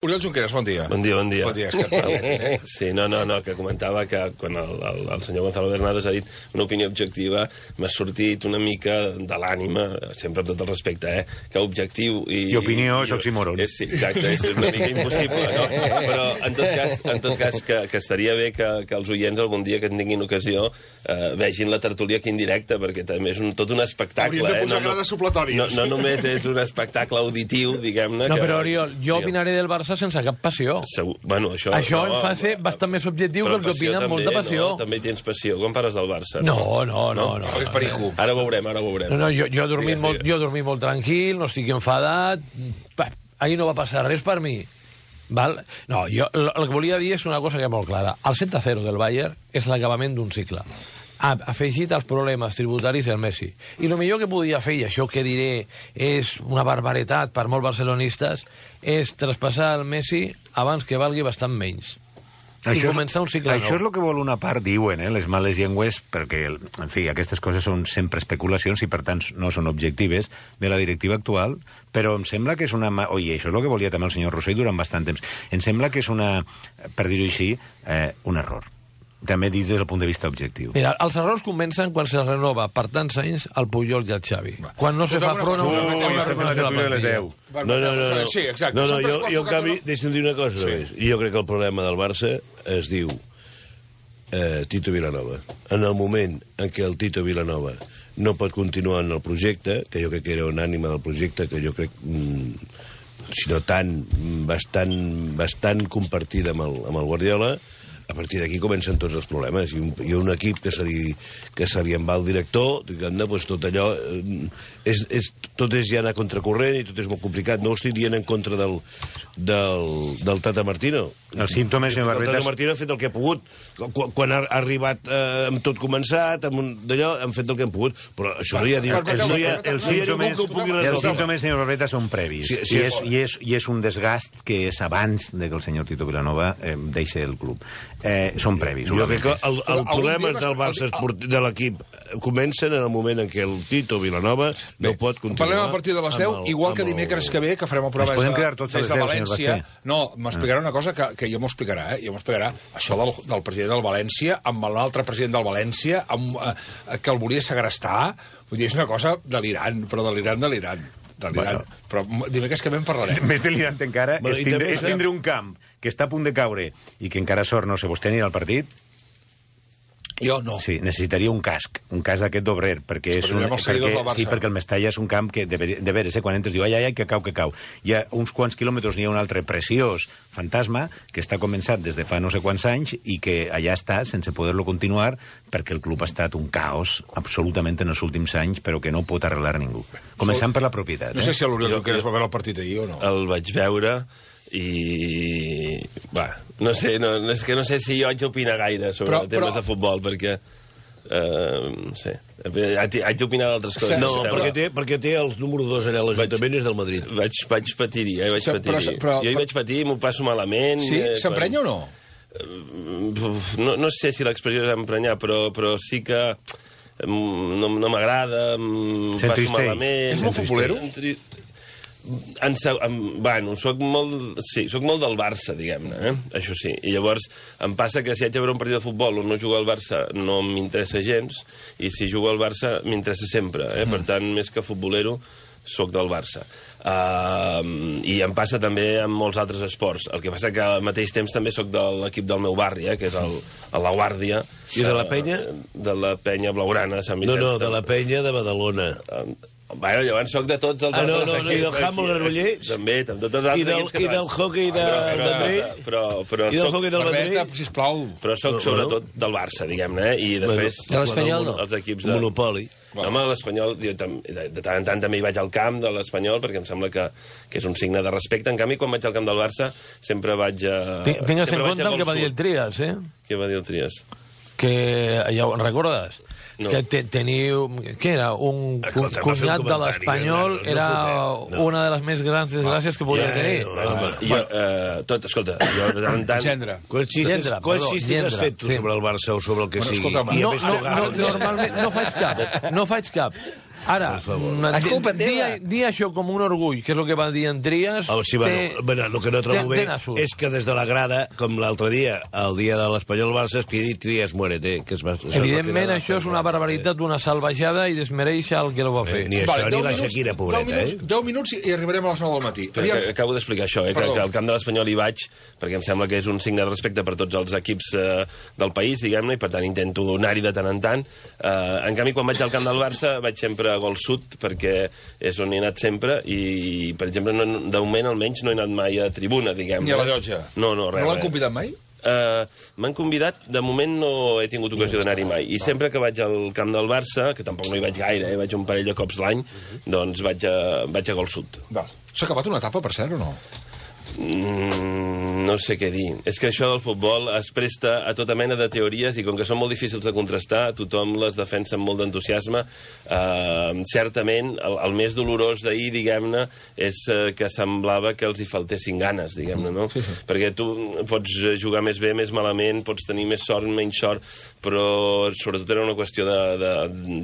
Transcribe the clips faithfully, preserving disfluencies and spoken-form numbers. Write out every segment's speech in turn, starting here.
Oriol Junqueras, bon dia. Bon dia, bon dia. Bon dia, és que... Sí, no, no, no, que comentava que quan el, el, el senyor Gonzalo Bernados ha dit una opinió objectiva, m'ha sortit una mica de l'ànima, sempre amb tot el respecte, eh? Que objectiu i... I opinió és oxímoron. És, sí, exacte, és una mica impossible, no? Però, en tot cas, en tot cas que, que estaria bé que, que els oients algun dia que en tinguin ocasió eh, vegin la tertúlia aquí en directe, perquè també és un, tot un espectacle. Hauríem de posar eh? no, grades supletòries. No, no només és un espectacle auditiu, diguem-ne... No, que, però, Oriol, jo opinaré del Barça sense cap passió. Segur, bueno, això... Això no, em fa ser bastant més objectiu que el que opina amb molta passió. No, també tens passió. Com parles del Barça? No, no, no. no, És perico. Ara ho veurem, ara ho veurem. No, no, jo, jo, he dormit Digues, molt, digues. jo he dormit molt tranquil, no estic enfadat... Pa, ahir no va passar res per mi. Val? No, jo el, el que volia dir és una cosa que és molt clara. El set a zero del Bayern és l'acabament d'un cicle. Ha afegit els problemes tributaris del Messi. I el millor que podia fer, i això que diré és una barbaritat per molts barcelonistes, és traspassar el Messi abans que valgui bastant menys. I Això, començar un cicle això nou. és el que vol una part, diuen, eh, les males llengües, perquè, en fi, aquestes coses són sempre especulacions i, per tant, no són objectives de la directiva actual, però em sembla que és una... Oi, això és el que volia també el senyor Rossell durant bastant temps. Em sembla que és una, per dir-ho així, eh, un error. També dit des del punt de vista objectiu. Mira, els errors comencen quan se renova per tants anys el Puyol i el Xavi. Quan no se fa front a una, a una renovació de la plantilla. No, no, no, no. Sí, exacte. No, no, Són tres jo, quarts jo en tocats canvi, de- deixa'm dir una cosa Sí. només. Jo crec que el problema del Barça es diu eh, Tito Vilanova. En el moment en què el Tito Vilanova no pot continuar en el projecte, que jo crec que era un ànima del projecte, que jo crec, mm, si no tant, mm, bastant, bastant compartida amb el, amb el Guardiola, a partir d'aquí comencen tots els problemes. I un, i un equip que se li, que se li en va el director, diguem-ne, doncs tot allò... Eh, és, és, tot és ja anar a contracorrent i tot és molt complicat. No ho estic dient en contra del, del, del Tata Martino. Els símptomes, senyor El Barbetes... Tata Martino ha fet el que ha pogut. Quan, quan ha arribat eh, amb tot començat, amb un, d'allò, han fet el que han pogut. Però això no hi ha, Per- per- no hi ha, per- Els no hi ha ningú símptomes, que ho pugui els resoldre. símptomes, senyor Barbetes, són previs. Sí, sí, I, és, és- i, és, I és un desgast que és abans de que el senyor Tito Vilanova eh, deixi el club. Eh, són previs. Jo crec que el, Però el algun problema dia vas- del Barça el- esport- de l'equip comencen en el moment en què el Tito Vilanova no Bé, pot continuar. Parlem a partir de les deu, amb el- igual que amb el- dimecres que ve, que farem el programa Ens podem des de, quedar tots a des les de deu, senyor València. Basté. No, m'explicarà una cosa que, que jo m'ho explicarà, eh? Jo m'ho explicarà. Això del, del president del València, amb l'altre president del València, amb, eh, que el volia segrestar, vull dir, és una cosa delirant, però delirant, delirant. delirant. Bueno. Però dimecres que ve en parlarem. Més delirant encara Bueno, és, i tindre, també- és tindre un camp que està a punt de caure i que encara sort, no sé, vostè anirà al partit? Jo no. Sí, necessitaria un casc, un casc d'aquest d'obrer, perquè és un, Esperarem els seguidors perquè, del Barça. sí, perquè el Mestalla és un camp que, de, de veres, eh, quan entres, diu, ai, ai, ai, que cau, que cau. Hi ha uns quants quilòmetres, n'hi ha un altre preciós fantasma, que està començat des de fa no sé quants anys i que allà està, sense poder-lo continuar, perquè el club ha estat un caos absolutament en els últims anys, però que no pot arreglar ningú. Començant per la propietat. No sé Eh? si l'Oriol Jo- Junqueras jo- va veure el partit ahir o no. El vaig veure i... Va, no sé, no, és que no sé si jo haig d'opinar gaire sobre Però- però, temes però- de futbol, perquè... Uh, no sé, haig, haig d'opinar d'altres coses. No, Sí, em perquè sembla. té, perquè té el número dos allà a l'Ajuntament, és del Madrid. Vaig, vaig patir-hi, eh? Vaig Sí, però- patir-hi. però- jo hi vaig patir, m'ho passo malament. Sí? eh, S'emprenya o no? Uf, no, no sé si l'expressió és emprenyar, però, però sí que mm, no, no m'agrada, em passo S'entristeix. malament... És molt futbolero? Entri- En, se- en, bueno, soc molt, sí, soc molt del Barça, diguem-ne, eh? Això sí. I llavors em passa que si haig de veure un partit de futbol on no juga el Barça no m'interessa gens, i si juga el Barça m'interessa sempre, eh? Per tant, més que futbolero, soc del Barça. Uh, I em passa també amb molts altres esports. El que passa que al mateix temps també sóc de l'equip del meu barri, eh? Que és el, el La Guàrdia. I de la Penya? Uh, de la Penya Blaugrana, Sant No, Vicenç. no, de la penya de Badalona. Uh, Bueno, llavors soc de tots els Ah, no, altres no, no, equips. i del handball Granollers? També, també, tots els I altres del- equips i del catalans. hoquei de Però- però- Vendrell? Però, però, I del soc, hoquei del Barbeta, Vendrell? sisplau. però soc Bueno. sobretot del Barça, diguem-ne, eh? I després... De l'Espanyol, no? Els equips Un de... monopoli. Home, l'Espanyol, jo tam- de, de tant en tant també hi vaig al camp de l'Espanyol, perquè em sembla que, que és un signe de respecte. En canvi, quan vaig al camp del Barça, sempre vaig a... Tingues en sempre vaig compte a el que va gol dir el sud. Trias, eh? Què va dir el Trias? Que, ja ho recordes? No. Que te, teniu... Què era? Un cu Escolta, va fer un cunyat de comentari, l'Espanyol no, no era fotem, no. una de les més grans desgràcies que podia Ja, tenir. no, Bueno, home. jo, eh, tot, escolta, jo de tant en tant... Gendre. Quants xistes, Llendra, quants perdó, xistes has llendra, fet tu sí. sobre el Barça o sobre el que Bueno, sigui? escolta'm, I a No, més no, t'ho no, agafes. normalment no faig cap, no faig cap. Ara, És culpa teva. dir, dir això com un orgull, que és el que va dir en Trias... Oh, sí, bueno, bueno, el que no trobo bé és que des de la grada, com l'altre dia, el dia de l'Espanyol-Barça, es cridi Trias muérete. Que es va, Evidentment, això és una barbaritat, una salvajada, i desmereix el que el va fer. Eh, ni això ni la Shakira, pobreta, eh? deu minuts i arribarem a les nou del matí. Però acabo d'explicar això, eh, que, que al camp de l'Espanyol hi vaig, perquè em sembla que és un signe de respecte per tots els equips eh, del país, diguem-ne, i per tant intento anar-hi de tant en tant. Eh, en canvi, quan vaig al camp del Barça, vaig sempre a Gol Sud, perquè és on he anat sempre, i, per exemple, no, de moment almenys no he anat mai a tribuna, diguem-ne. Ni a la llotja? No, no, res. No l'han convidat mai? Uh, M'han convidat, de moment no he tingut ocasió d'anar-hi mai, i sempre que vaig al camp del Barça, que tampoc no hi vaig gaire, eh, vaig un parell de cops l'any, doncs vaig a, vaig a Gol Sud. S'ha acabat una etapa, per cert, o no? Mm, no sé què dir. És que això del futbol es presta a tota mena de teories i com que són molt difícils de contrastar, tothom les defensa amb molt d'entusiasme. Uh, certament, el, el més dolorós d'ahir, diguem-ne, és uh, que semblava que els hi faltessin ganes, diguem-ne, no? Sí, sí. Perquè tu pots jugar més bé, més malament, pots tenir més sort, menys sort, però sobretot era una qüestió de, de,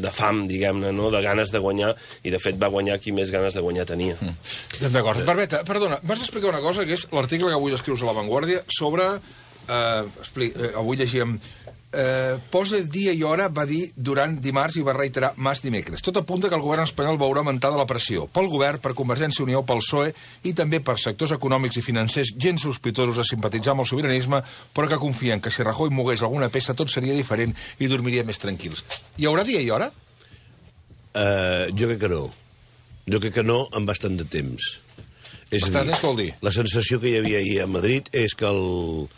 de fam, diguem-ne, no? De ganes de guanyar, i de fet va guanyar qui més ganes de guanyar tenia. Mm. D'acord. Barbeta, perdona, m'has d'explicar una cosa, que és l'article que avui escrius a La Vanguardia sobre... Eh, expli- eh, avui llegíem... Eh, posa dia i hora, va dir durant dimarts i va reiterar Mas dimecres. Tot apunta que el govern espanyol veurà augmentada la pressió pel govern, per Convergència i Unió, pel P S O E i també per sectors econòmics i financers gens sospitosos de simpatitzar amb el sobiranisme, però que confien que si Rajoy mogués alguna peça tot seria diferent i dormiria més tranquils. Hi haurà dia i hora? Uh, jo crec que no. Jo crec que no en bastant de temps. És Bastant a dir, temps, què vol dir? la sensació que hi havia ahir a Madrid és que el,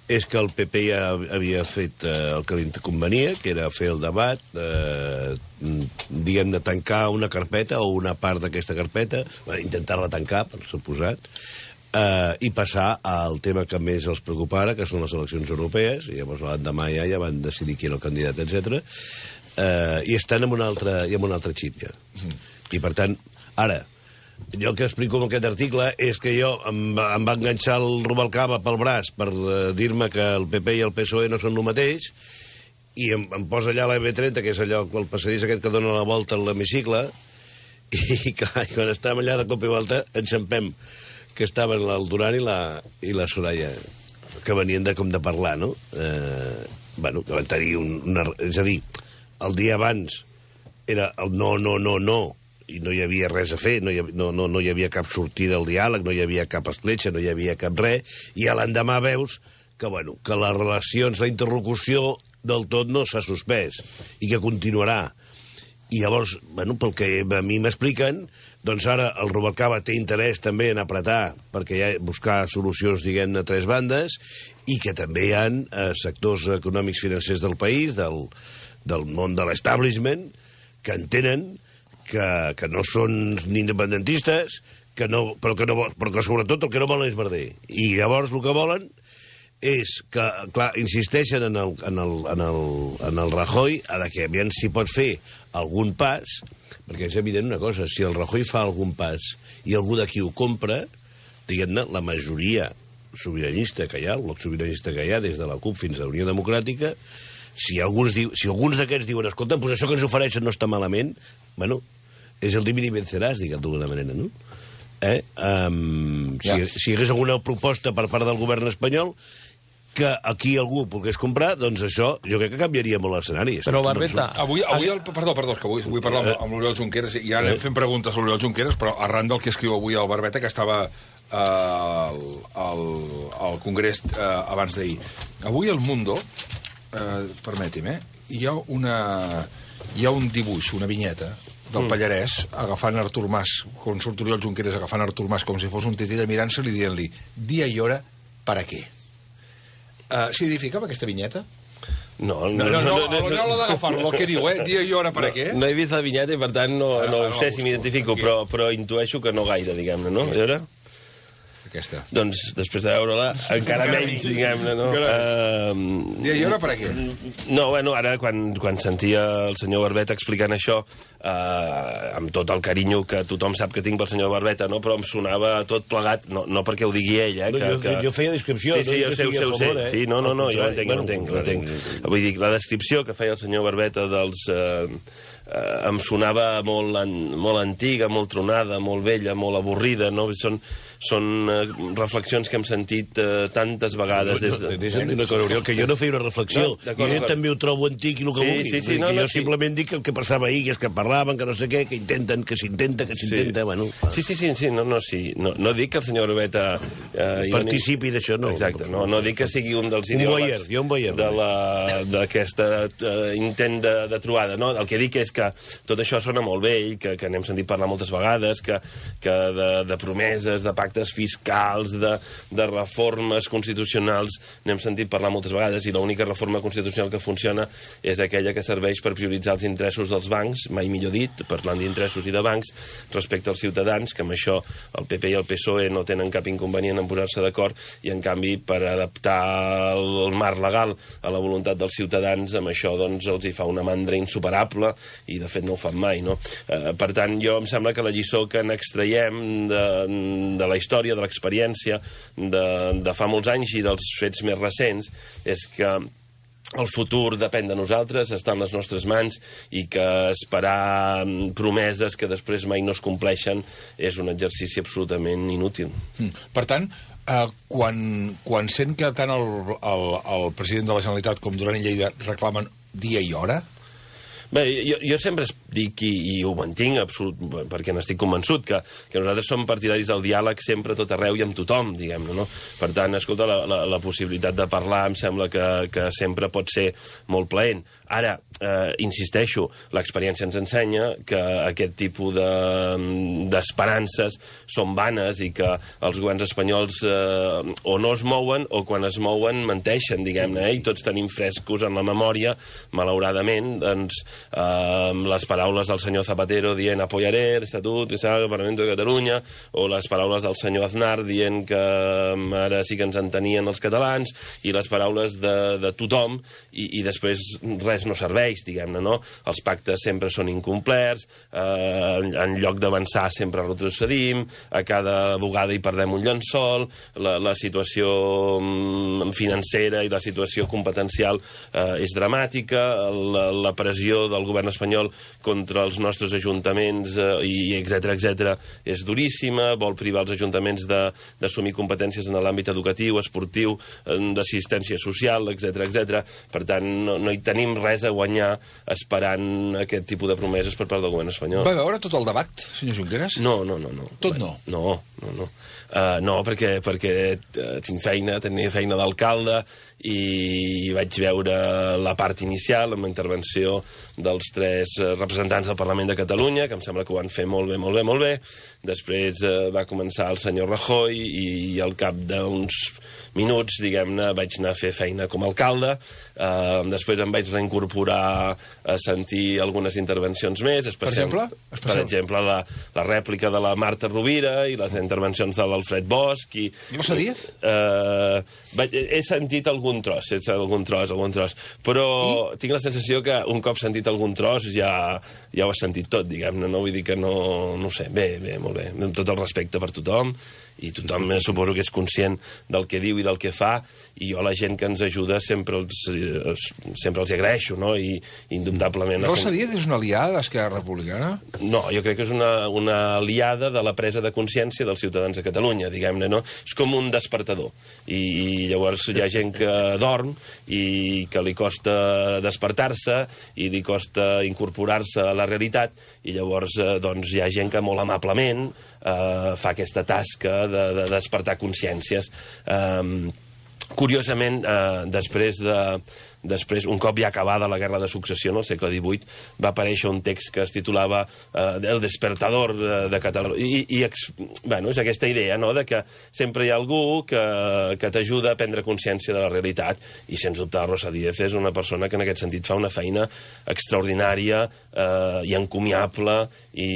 és que el P P ja havia fet eh, el que li convenia, que era fer el debat, eh, diguem, de tancar una carpeta o una part d'aquesta carpeta, intentar-la tancar, per suposat, eh, i passar al tema que més els preocupa ara, que són les eleccions europees, i llavors l'endemà ja, ja van decidir qui era el candidat, etcètera. Eh, i estan en un altre, i en un altre xip, ja. Mm. I, per tant, ara... Jo el que explico en aquest article és que jo em va, em va enganxar el Rubalcaba pel braç per uh, dir-me que el P P i el P S O E no són el mateix, i em, em posa allà la B trenta, que és allò, el passadís aquest que dona la volta a l'hemicicle, i clar, quan estàvem allà de cop i volta enxampem que estaven el Duran i la, i la Soraya, que venien de com de parlar, no? Eh, bueno, que van tenir un, una... És a dir, el dia abans era el no, no, no, no, i no hi havia res a fer, no hi havia, no, no, no hi havia cap sortida al diàleg, no hi havia cap escletxa, no hi havia cap res, i a l'endemà veus que, bueno, que les relacions, la interlocució del tot no s'ha suspès i que continuarà. I llavors, bueno, pel que a mi m'expliquen, doncs ara el Rubalcaba té interès també en apretar, perquè hi ha buscar solucions, diguem, de tres bandes, i que també hi ha eh, sectors econòmics financers del país, del, del món de l'establishment, que entenen que, que no són ni independentistes, que no, però, que no, però que sobretot el que no volen és merder. I llavors el que volen és que, clar, insisteixen en el, en el, en el, en el Rajoy, a que aviam si pot fer algun pas, perquè és evident una cosa, si el Rajoy fa algun pas i algú d'aquí ho compra, diguem-ne, la majoria sobiranista que hi ha, el bloc sobiranista que hi ha, des de la CUP fins a la Unió Democràtica, si alguns, diu, si alguns d'aquests diuen, escolta, pues això que ens ofereixen no està malament, bueno, és el divi i venceràs, diguem d'alguna manera, no? Eh? Um, si, ja. si hi hagués alguna proposta per part del govern espanyol que aquí algú pogués comprar, doncs això jo crec que canviaria molt l'escenari. Però, Barbeta... Avui, avui el, perdó, perdó, és que avui vull parlar amb, amb l'Oriol Junqueras, i ja anem fent preguntes a l'Oriol Junqueras, però arran del que escriu avui el Barbeta, que estava eh, al, al, al Congrés eh, abans d'ahir. Avui el Mundo, eh, permeti'm, eh, hi ha una... hi ha un dibuix, una vinyeta, del Pallarès, agafant Artur Mas, quan surt Oriol Junqueras agafant Artur Mas com si fos un titella, mirant-se-li i dient-li, dia i hora, per a què? Uh, S'identificava aquesta vinyeta? No, no, no, no, no, no l'ha d'agafar-lo, el que diu, eh? Dia i hora per a què? No he vist la vinyeta i, per tant, no, no, no sé si m'identifico, però, però intueixo que no gaire, diguem-ne, no? A veure... aquesta? Doncs, després de veure-la, encara menys, diguem-ne, no? Uh, I ara per què? No, bueno, ara, quan, quan sentia el senyor Barbeta explicant això, uh, amb tot el carinyo que tothom sap que tinc pel senyor Barbeta, no? Però em sonava tot plegat, no, no perquè ho digui ell, eh? No, que, jo, que... jo feia descripció. Sí, sí, no, jo sé, ho sé, ho sé. Favor, eh? Sí, no, no, no, jo ho entenc, bueno, jo ho entenc, ho entenc. entenc. Vull dir, la descripció que feia el senyor Barbeta dels... Eh, eh, em sonava molt, an, molt antiga, molt tronada, molt vella, molt avorrida, no? Són, són eh, reflexions que hem sentit eh, tantes vegades des de... Deixa'm dir una cosa, Oriol, que jo no feia una reflexió. No, I ell també ho trobo antic i el que Sí, vulgui. sí, sí, Vull dir no, que no, jo sí. simplement dic el que passava ahir, que és que parlaven, que no sé què, que intenten, que s'intenta, que s'intenta, bueno... Sí, sí, sí, sí, no, no, sí. No, no dic que el senyor Barbeta... Eh, Participi d'això, no. Exacte, no, no dic que sigui un dels Un voyeur, ideòlegs jo un voyeur. de la- d'aquesta uh, intent de, de trobada. No? El que dic és que tot això sona molt bé i que, que n'hem sentit parlar moltes vegades, que, que de, de promeses, de pactes fiscals, de, de reformes constitucionals n'hem sentit parlar moltes vegades i l'única reforma constitucional que funciona és aquella que serveix per prioritzar els interessos dels bancs, mai millor dit, parlant d'interessos i de bancs, respecte als ciutadans, que amb això el P P i el P S O E no tenen cap inconvenient en posar-se d'acord i, en canvi, per adaptar el marc legal a la voluntat dels ciutadans, amb això doncs, els hi fa una mandra insuperable i, de fet, no ho fan mai. No? Eh, per tant, jo em sembla que la lliçó que n'extraiem de, de la història, de l'experiència de, de fa molts anys i dels fets més recents és que el futur depèn de nosaltres, està en les nostres mans i que esperar promeses que després mai no es compleixen és un exercici absolutament inútil. Mm. Per tant, eh, quan, quan sent que tant el, el, el president de la Generalitat com Duran i Lleida reclamen dia i hora... Bé, jo, jo sempre dic, i, i ho mantinc absolut, perquè n'estic convençut, que, que nosaltres som partidaris del diàleg sempre, tot arreu i amb tothom, diguem-ne, no? Per tant, escolta, la, la, la possibilitat de parlar em sembla que, que sempre pot ser molt plaent. Ara, eh, insisteixo, l'experiència ens ensenya que aquest tipus d'esperances de, són vanes i que els governs espanyols eh, o no es mouen o quan es mouen menteixen, diguem-ne, eh? I tots tenim frescos en la memòria, malauradament, doncs, eh, les paraules del senyor Zapatero dient apoyaré l'Estatut que s'ha del Parlament de Catalunya, o les paraules del senyor Aznar dient que ara sí que ens entenien els catalans, i les paraules de, de tothom, i, i després res no serveix, diguem-ne, no? Els pactes sempre són incomplerts, eh, en, en lloc d'avançar sempre retrocedim, a cada bugada hi perdem un llençol, la, la situació financera i la situació competencial eh, és dramàtica, la, la pressió del govern espanyol contra els nostres ajuntaments, eh, i etcètera, etcètera, és duríssima, vol privar els ajuntaments d'assumir competències en l'àmbit educatiu, esportiu, d'assistència social, etcètera, etcètera. Per tant, no, no hi tenim res a guanyar esperant aquest tipus de promeses per part del govern espanyol. Va veure tot el debat, senyor Junqueras? No, no, no. no. Tot no? No, no, no. Uh, no, perquè, perquè uh, tinc feina, tenia feina d'alcalde i vaig veure la part inicial amb la intervenció dels tres uh, representants del Parlament de Catalunya, que em sembla que ho van fer molt bé, molt bé, molt bé. Després uh, va començar el senyor Rajoy i, i al cap d'uns minuts, diguem-ne, vaig anar a fer feina com a alcalde. Uh, després em vaig reincorporar a sentir algunes intervencions més. Per exemple? Per exemple, la, la rèplica de la Marta Rovira i les intervencions de l'Alfred Bosch. I, Rosa Díez? Uh, vaig, he sentit algun tros, he sentit algun tros, algun tros. Però I? tinc la sensació que un cop sentit algun tros ja, ja ho has sentit tot, diguem-ne. No vull dir que no... No ho sé, bé, bé, molt bé. Amb tot el respecte per tothom, i tothom eh, suposo que és conscient del que diu i del que fa, i jo a la gent que ens ajuda sempre els, eh, sempre els hi agraeixo, no? I indubtablement... Rosa Díez és una aliada d'Esquerra Republicana? No, jo crec que és una, una aliada de la presa de consciència dels ciutadans de Catalunya, diguem-ne, no? És com un despertador, i, i llavors hi ha gent que dorm i que li costa despertar-se i li costa incorporar-se a la realitat, i llavors eh, doncs hi ha gent que molt amablement eh, fa aquesta tasca de, de despertar consciències. Eh, curiosament, eh, després de, després, un cop ja acabada la Guerra de Successió, no, al segle divuit, va aparèixer un text que es titulava eh, El despertador de Catalunya. I, i ex, bueno, és aquesta idea, no?, de que sempre hi ha algú que, que t'ajuda a prendre consciència de la realitat, i sens dubte Rosa Díez és una persona que en aquest sentit fa una feina extraordinària eh, i encomiable, i,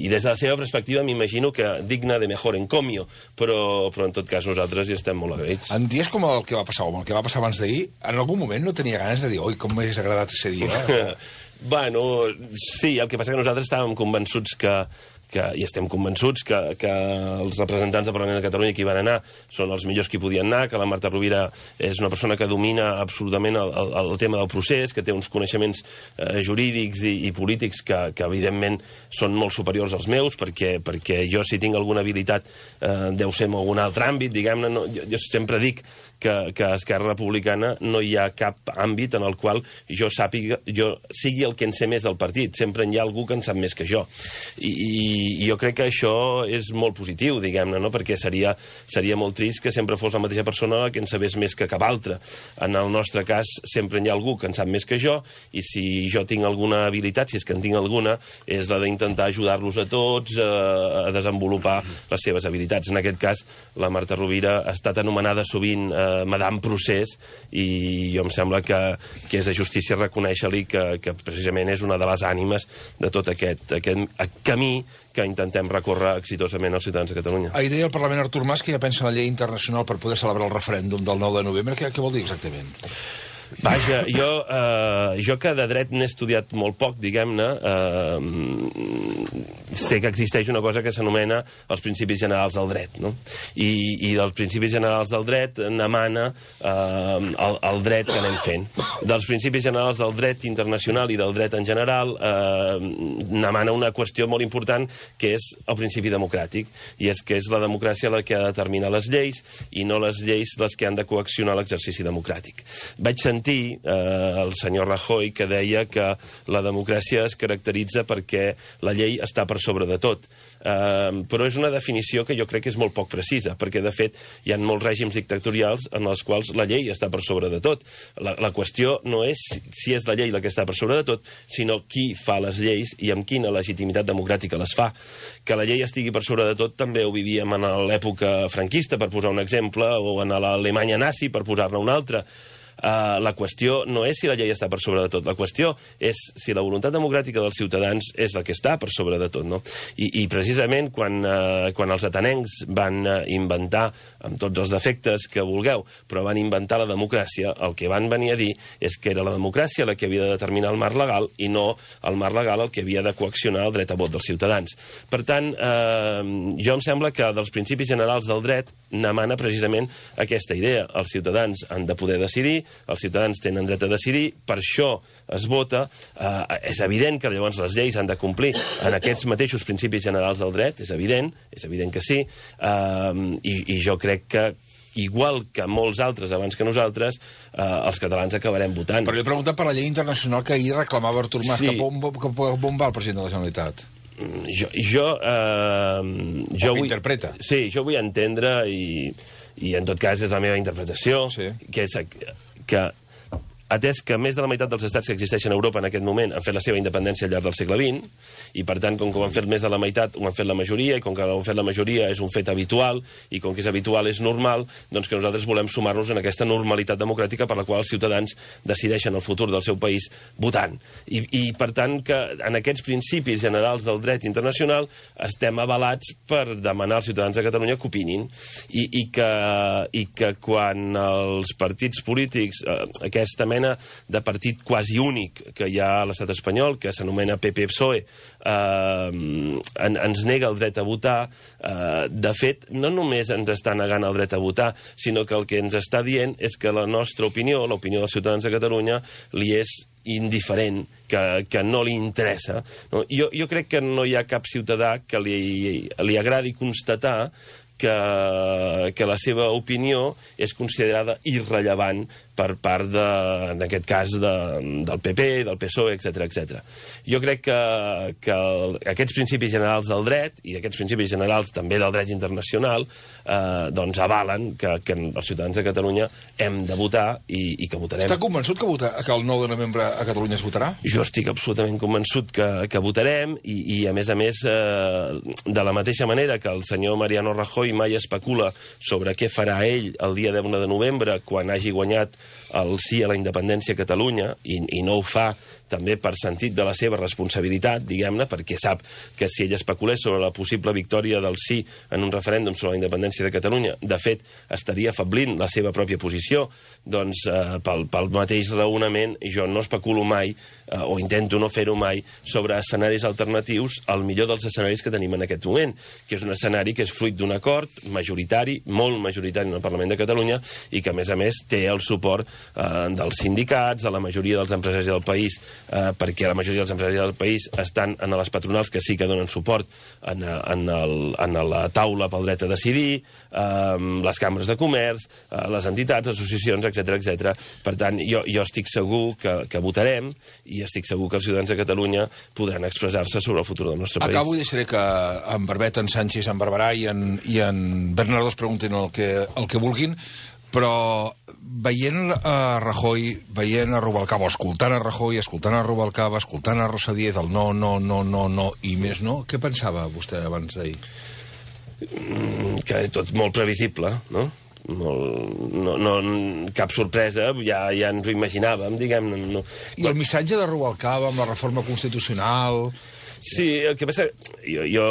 i des de la seva perspectiva m'imagino que digna de mejor encomio, però, però en tot cas nosaltres hi estem molt agraïts. En dies com el que va passar, o el que va passar abans d'ahir, en algun moment no tenia ganes de dir oi, com m'hagués agradat ser dia. Bueno, sí, el que passa que nosaltres estàvem convençuts que, que i estem convençuts que, que els representants del Parlament de Catalunya que hi van anar són els millors que hi podien anar, que la Marta Rovira és una persona que domina absolutament el, el, el tema del procés, que té uns coneixements eh, jurídics i, i polítics que, que evidentment són molt superiors als meus, perquè, perquè jo si tinc alguna habilitat eh, deu ser en algun altre àmbit, diguem-ne. No, jo, jo sempre dic que, que a Esquerra Republicana no hi ha cap àmbit en el qual jo sàpiga, jo sigui el que en sé més del partit. Sempre hi ha algú que en sap més que jo. I, i jo crec que això és molt positiu, diguem-ne, no? Perquè seria, seria molt trist que sempre fos la mateixa persona que en sabés més que cap altre. En el nostre cas sempre hi ha algú que en sap més que jo, i si jo tinc alguna habilitat, si és que en tinc alguna, és la d'intentar ajudar-los a tots a, a desenvolupar les seves habilitats. En aquest cas, la Marta Rovira ha estat anomenada sovint eh, Madame Procés, i jo em sembla que, que és de justícia reconèixer-li que, que precisament és una de les ànimes de tot aquest, aquest camí que intentem recórrer exitosament als ciutadans de Catalunya. Ahir deia el Parlament Artur Mas que ja pensa en la llei internacional per poder celebrar el referèndum del nou de novembre. Què, què vol dir exactament? Vaja, jo, eh, jo que de dret n'he estudiat molt poc, diguem-ne, eh, sé que existeix una cosa que s'anomena els principis generals del dret, no? I, i dels principis generals del dret n'emana eh, el, el dret que anem fent. Dels principis generals del dret internacional i del dret en general eh, n'emana una qüestió molt important, que és el principi democràtic, i és que és la democràcia la que ha de determinar les lleis i no les lleis les que han de coaccionar l'exercici democràtic. Vaig sentir eh, el senyor Rajoy que deia que la democràcia es caracteritza perquè la llei està per sobre de tot. Uh, però és una definició que jo crec que és molt poc precisa, perquè de fet hi ha molts règims dictatorials en els quals la llei està per sobre de tot. La, la qüestió no és si és la llei la que està per sobre de tot, sinó qui fa les lleis i amb quina legitimitat democràtica les fa. Que la llei estigui per sobre de tot també ho vivíem en l'època franquista, per posar un exemple, o en l'Alemanya nazi, per posar-ne un altre. Uh, la qüestió no és si la llei està per sobre de tot, la qüestió és si la voluntat democràtica dels ciutadans és la que està per sobre de tot, no? I, i precisament quan, uh, quan els atenencs van uh, inventar, amb tots els defectes que vulgueu, però van inventar la democràcia, el que van venir a dir és que era la democràcia la que havia de determinar el marc legal i no el marc legal el que havia de coaccionar el dret a vot dels ciutadans. Per tant, uh, jo em sembla que dels principis generals del dret n'emana precisament aquesta idea. Els ciutadans han de poder decidir, els ciutadans tenen dret a decidir, per això es vota. Eh, és evident que llavors les lleis han de complir en aquests mateixos principis generals del dret, és evident, és evident que sí, eh, i, i jo crec que igual que molts altres abans que nosaltres, eh, els catalans acabarem votant. Però jo he preguntat per la llei internacional que ahir reclamava Artur Mas, Sí. que on, que on va el president de la Generalitat? Jo, jo, eh, jo O que vull, interpreta. Sí, jo vull entendre, i, i en tot cas és la meva interpretació, Sí. que és que atès que més de la meitat dels estats que existeixen a Europa en aquest moment han fet la seva independència al llarg del segle vint, i per tant, com que ho han fet més de la meitat, ho han fet la majoria, i com que ho han fet la majoria és un fet habitual, i com que és habitual és normal, doncs que nosaltres volem sumar-nos en aquesta normalitat democràtica per la qual els ciutadans decideixen el futur del seu país votant. I, i per tant, que en aquests principis generals del dret internacional estem avalats per demanar als ciutadans de Catalunya que opinin, i, i, que, i que quan els partits polítics, eh, aquesta mena de partit quasi únic que hi ha a l'estat espanyol, que s'anomena P P P S O E, eh, en, ens nega el dret a votar. Eh, de fet, no només ens està negant el dret a votar, sinó que el que ens està dient és que la nostra opinió, l'opinió dels ciutadans de Catalunya, li és indiferent, que, que no li interessa. No? Jo, jo crec que no hi ha cap ciutadà que li, li agradi constatar que, que la seva opinió és considerada irrellevant per part, de, en aquest cas, de, del P P, del P S O E, etcètera, etcètera. Jo crec que, que el, aquests principis generals del dret, i aquests principis generals també del dret internacional, eh, doncs avalen que, que els ciutadans de Catalunya hem de votar i, i que votarem. Està convençut que, vota, que el nou de novembre a Catalunya es votarà? Jo estic absolutament convençut que, que votarem i, i, a més a més, eh, de la mateixa manera que el senyor Mariano Rajoy mai especula sobre què farà ell el dia deu de novembre quan hagi guanyat el sí a la independència a Catalunya, i, i no ho fa també per sentit de la seva responsabilitat, diguem-ne, perquè sap que si ell especulés sobre la possible victòria del sí en un referèndum sobre la independència de Catalunya, de fet, estaria afablint la seva pròpia posició, doncs eh, pel, pel mateix raonament jo no especulo mai, eh, o intento no fer-ho mai, sobre escenaris alternatius al millor dels escenaris que tenim en aquest moment, que és un escenari que és fruit d'un acord majoritari, molt majoritari en el Parlament de Catalunya, i que, a més a més, té el suport eh, dels sindicats, de la majoria dels empresaris del país, eh, perquè la majoria dels empresaris del país estan en les patronals que sí que donen suport en, en, el, en la taula pel dret a decidir, eh, les cambres de comerç, eh, les entitats, les associacions, etcètera, etcètera. Per tant, jo, jo estic segur que, que votarem, i estic segur que els ciutadans de Catalunya podran expressar-se sobre el futur del nostre país. Acabo i deixaré que en Barbet, en Sánchez, en Barberà i en, i en Bernardo es preguntin el que, el que vulguin, però veient a Rajoy, veient a Rubalcaba, escoltant a Rajoy, escoltant a Rubalcaba, escoltant a Rosa Díez, el no, no, no, no, no i més no, què pensava vostè abans d'ahir? Mm, que tot molt previsible, no? Molt, no, no, cap sorpresa, ja, ja ens ho imaginàvem, diguem-ne. No. I el missatge de Rubalcaba amb la reforma constitucional... Sí, el que passa... Jo... jo...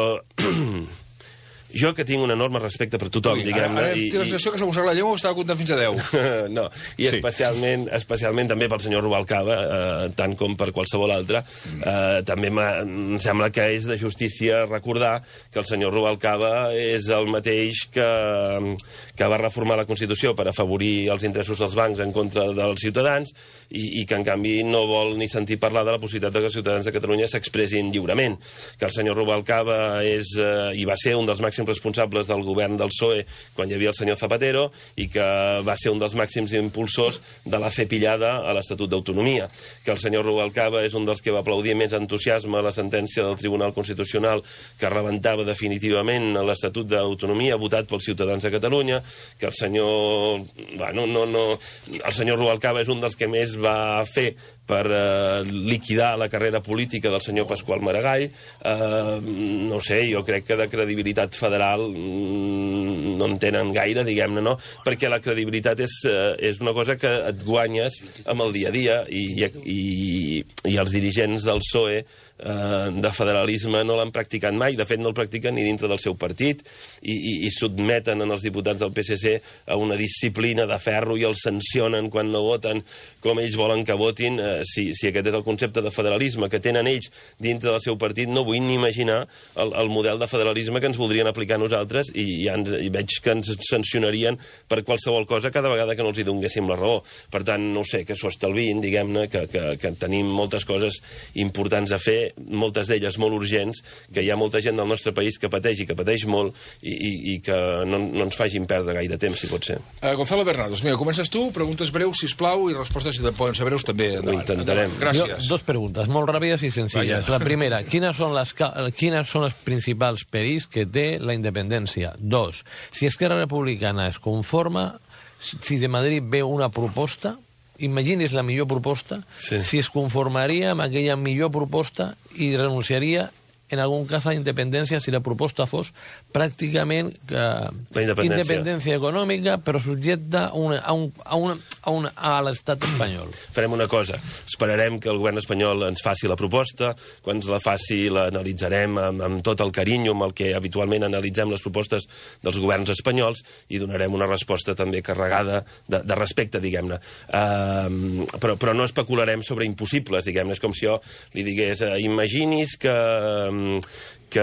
Jo, que tinc un enorme respecte per tothom, diguem-ne... Ara, ara i, tens l'expressió que s'ha mossat la llengua o estava comptant fins a deu? No, i sí. especialment, especialment també pel senyor Rubalcaba, eh, tant com per qualsevol altre. Eh, també em sembla que és de justícia recordar que el senyor Rubalcaba és el mateix que, que va reformar la Constitució per afavorir els interessos dels bancs en contra dels ciutadans i, i que, en canvi, no vol ni sentir parlar de la possibilitat que els ciutadans de Catalunya s'expressin lliurement. Que el senyor Rubalcaba és, eh, i va ser un dels màxims responsables del govern del P S O E quan hi havia el senyor Zapatero i que va ser un dels màxims impulsors de la cepillada a l'Estatut d'Autonomia, que el senyor Rubalcaba és un dels que va aplaudir més entusiasme la sentència del Tribunal Constitucional que rebentava definitivament l'Estatut d'Autonomia votat pels ciutadans de Catalunya, que el senyor... Bueno, no, no, el senyor Rubalcaba és un dels que més va fer per eh, liquidar la carrera política del senyor Pasqual Maragall. Eh, no sé, jo crec que de credibilitat federal mm, no en tenen gaire, diguem-ne, no? Perquè la credibilitat és, eh, és una cosa que et guanyes amb el dia a dia i, i, i els dirigents del P S O E eh, de federalisme no l'han practicat mai, de fet no el practiquen ni dintre del seu partit i, i, i sotmeten en els diputats del P S C a una disciplina de ferro i els sancionen quan no voten com ells volen que votin. eh, si, si aquest és el concepte de federalisme que tenen ells dintre del seu partit, no vull ni imaginar el, el model de federalisme que ens voldrien aplicar nosaltres i, ja ens, i veig que ens sancionarien per qualsevol cosa cada vegada que no els hi donguéssim la raó. Per tant, no sé, que s'ho estalviïn, diguem-ne, que, que, que tenim moltes coses importants a fer, moltes d'elles molt urgents, que hi ha molta gent del nostre país que pateix i que pateix molt i, i, i que no, no ens facin perdre gaire temps, si pot ser. Uh, Gonzalo Bernardo, mira, comences tu, preguntes breus, sisplau, i respostes, si poden ser breus, també. Endavant. Ho intentarem. Gràcies. Jo, dos preguntes, molt ràpides i senzilles. Vaya. La primera, quines són les, quines són els principals perills que té la independència? Dos, si Esquerra Republicana es conforma, si de Madrid ve una proposta, imagini's la millor proposta, sí. si es conformaria amb aquella millor proposta i renunciaria en algun cas a la independència si la proposta fos pràcticament eh, independència. independència econòmica però subjecta a, una, a, un, a, una, a, una, a l'estat espanyol. Farem una cosa, esperarem que el govern espanyol ens faci la proposta, quan ens la faci l'analitzarem amb, amb tot el carinyo amb el que habitualment analitzem les propostes dels governs espanyols i donarem una resposta també carregada de, de respecte, diguem-ne. Uh, però, però no especularem sobre impossibles, diguem-ne. És com si jo li digués, uh, imagini's que que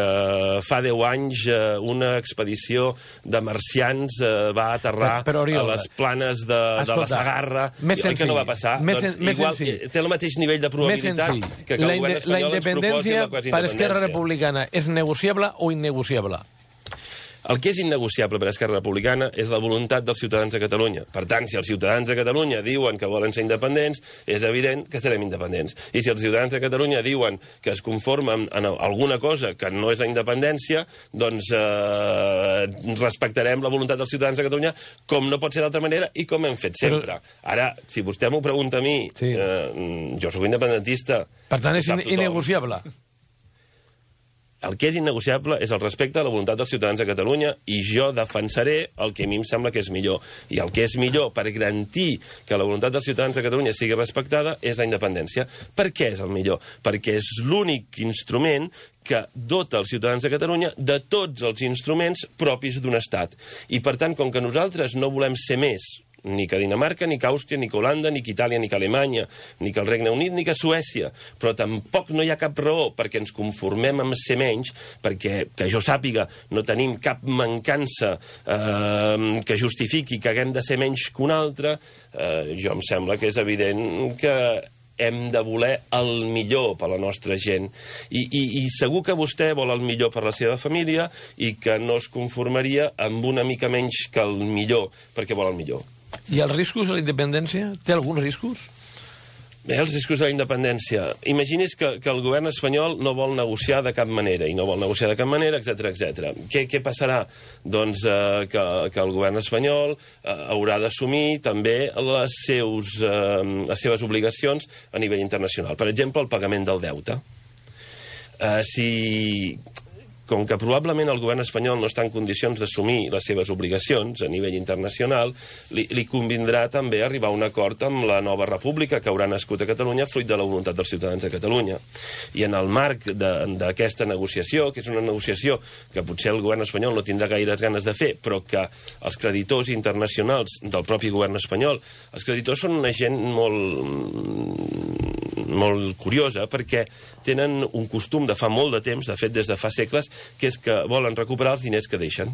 fa deu anys eh, una expedició de marcians eh, va aterrar però, però, Oriol, a les planes de, escolta, de la Sagarra, i que no va passar. Més, doncs, més igual senzill. té el mateix nivell de probabilitat que, que el la, govern espanyol ens proposi la quasi per Esquerra Republicana és negociable o innegociable? El que és innegociable per Esquerra Republicana és la voluntat dels ciutadans de Catalunya. Per tant, si els ciutadans de Catalunya diuen que volen ser independents, és evident que serem independents. I si els ciutadans de Catalunya diuen que es conformen en alguna cosa que no és la independència, doncs eh, respectarem la voluntat dels ciutadans de Catalunya com no pot ser d'altra manera i com hem fet sempre. Ara, si vostè m'ho pregunta a mi, sí. eh, jo sóc independentista. Per tant, és innegociable. El que és innegociable és el respecte a la voluntat dels ciutadans de Catalunya i jo defensaré el que a mi em sembla que és millor. I el que és millor per garantir que la voluntat dels ciutadans de Catalunya sigui respectada és la independència. Per què és el millor? Perquè és l'únic instrument que dota els ciutadans de Catalunya de tots els instruments propis d'un estat. I, per tant, com que nosaltres no volem ser més ni que Dinamarca, ni que Àustria, ni que Holanda, ni que Itàlia, ni que Alemanya, ni que el Regne Unit, ni que Suècia. Però tampoc no hi ha cap raó perquè ens conformem amb ser menys, perquè, que jo sàpiga, no tenim cap mancança eh, que justifiqui que haguem de ser menys que un altre. Eh, jo em sembla que és evident que hem de voler el millor per a la nostra gent. I, i, I segur que vostè vol el millor per a la seva família i que no es conformaria amb una mica menys que el millor, perquè vol el millor. I els riscos de la independència? Té alguns riscos? Bé, els riscos de la independència. Imagini's que, que el govern espanyol no vol negociar de cap manera, i no vol negociar de cap manera, etcètera, etcètera. Què, què passarà? Doncs eh, que, que el govern espanyol eh, haurà d'assumir també les, seus, eh, les seves obligacions a nivell internacional. Per exemple, el pagament del deute. Eh, si... Com que probablement el govern espanyol no està en condicions d'assumir les seves obligacions a nivell internacional, li, li convindrà també arribar a un acord amb la nova república que haurà nascut a Catalunya fruit de la voluntat dels ciutadans de Catalunya. I en el marc d'aquesta negociació, que és una negociació que potser el govern espanyol no tindrà gaires ganes de fer, però que els creditors internacionals del propi govern espanyol, els creditors són una gent molt molt curiosa, perquè tenen un costum de fa molt de temps, de fet des de fa segles, que és que volen recuperar els diners que deixen.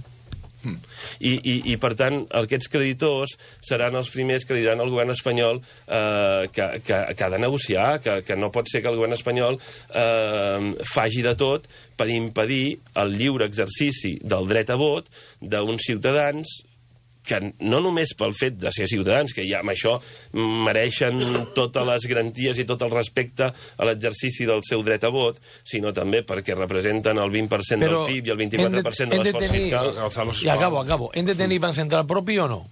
Mm. I, i, I, per tant, aquests creditors seran els primers que li diran al govern espanyol eh, que, que, que ha de negociar, que, que no pot ser que el govern espanyol eh, faci de tot per impedir el lliure exercici del dret a vot d'uns ciutadans que no només pel fet de ser ciutadans, que ja amb això mereixen totes les garanties i tot el respecte a l'exercici del seu dret a vot, sinó també perquè representen el vint per cent del P I B i el vint-i-quatre per cent de l'esforç fiscal. I acabo, acabo. Hem de tenir Banc Central propi o no?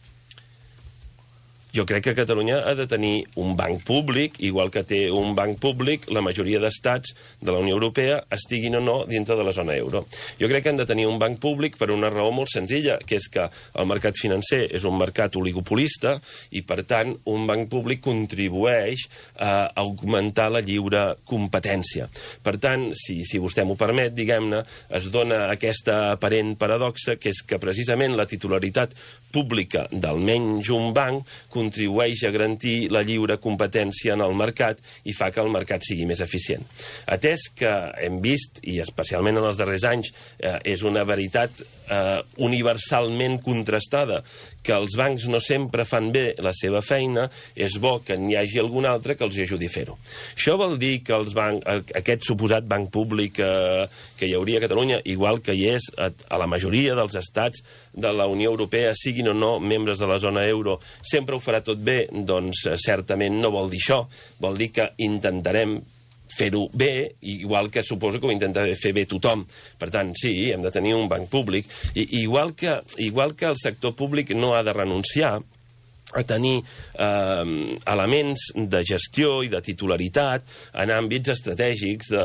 Jo crec que Catalunya ha de tenir un banc públic, igual que té un banc públic la majoria d'estats de la Unió Europea, estiguin o no dintre de la zona euro. Jo crec que han de tenir un banc públic per una raó molt senzilla, que és que el mercat financer és un mercat oligopolista i, per tant, un banc públic contribueix a augmentar la lliure competència. Per tant, si, si vostè m'ho permet, diguem-ne, es dona aquesta aparent paradoxa, que és que precisament la titularitat pública d'almenys un banc contribueix a garantir la lliure competència en el mercat i fa que el mercat sigui més eficient. Atès que hem vist, i especialment en els darrers anys, eh, és una veritat eh, universalment contrastada, que els bancs no sempre fan bé la seva feina, és bo que n'hi hagi algun altre que els ajudi a fer-ho. Això vol dir que els banc, aquest suposat banc públic eh, que hi hauria a Catalunya, igual que hi és a, a la majoria dels estats de la Unió Europea, siguin o no membres de la zona euro, sempre ho farà tot bé? Doncs certament no vol dir això. Vol dir que intentarem fer-ho bé, igual que suposo que ho intenta fer bé tothom. Per tant, sí, hem de tenir un banc públic. I, igual que, igual que el sector públic no ha de renunciar a tenir eh, elements de gestió i de titularitat en àmbits estratègics, de,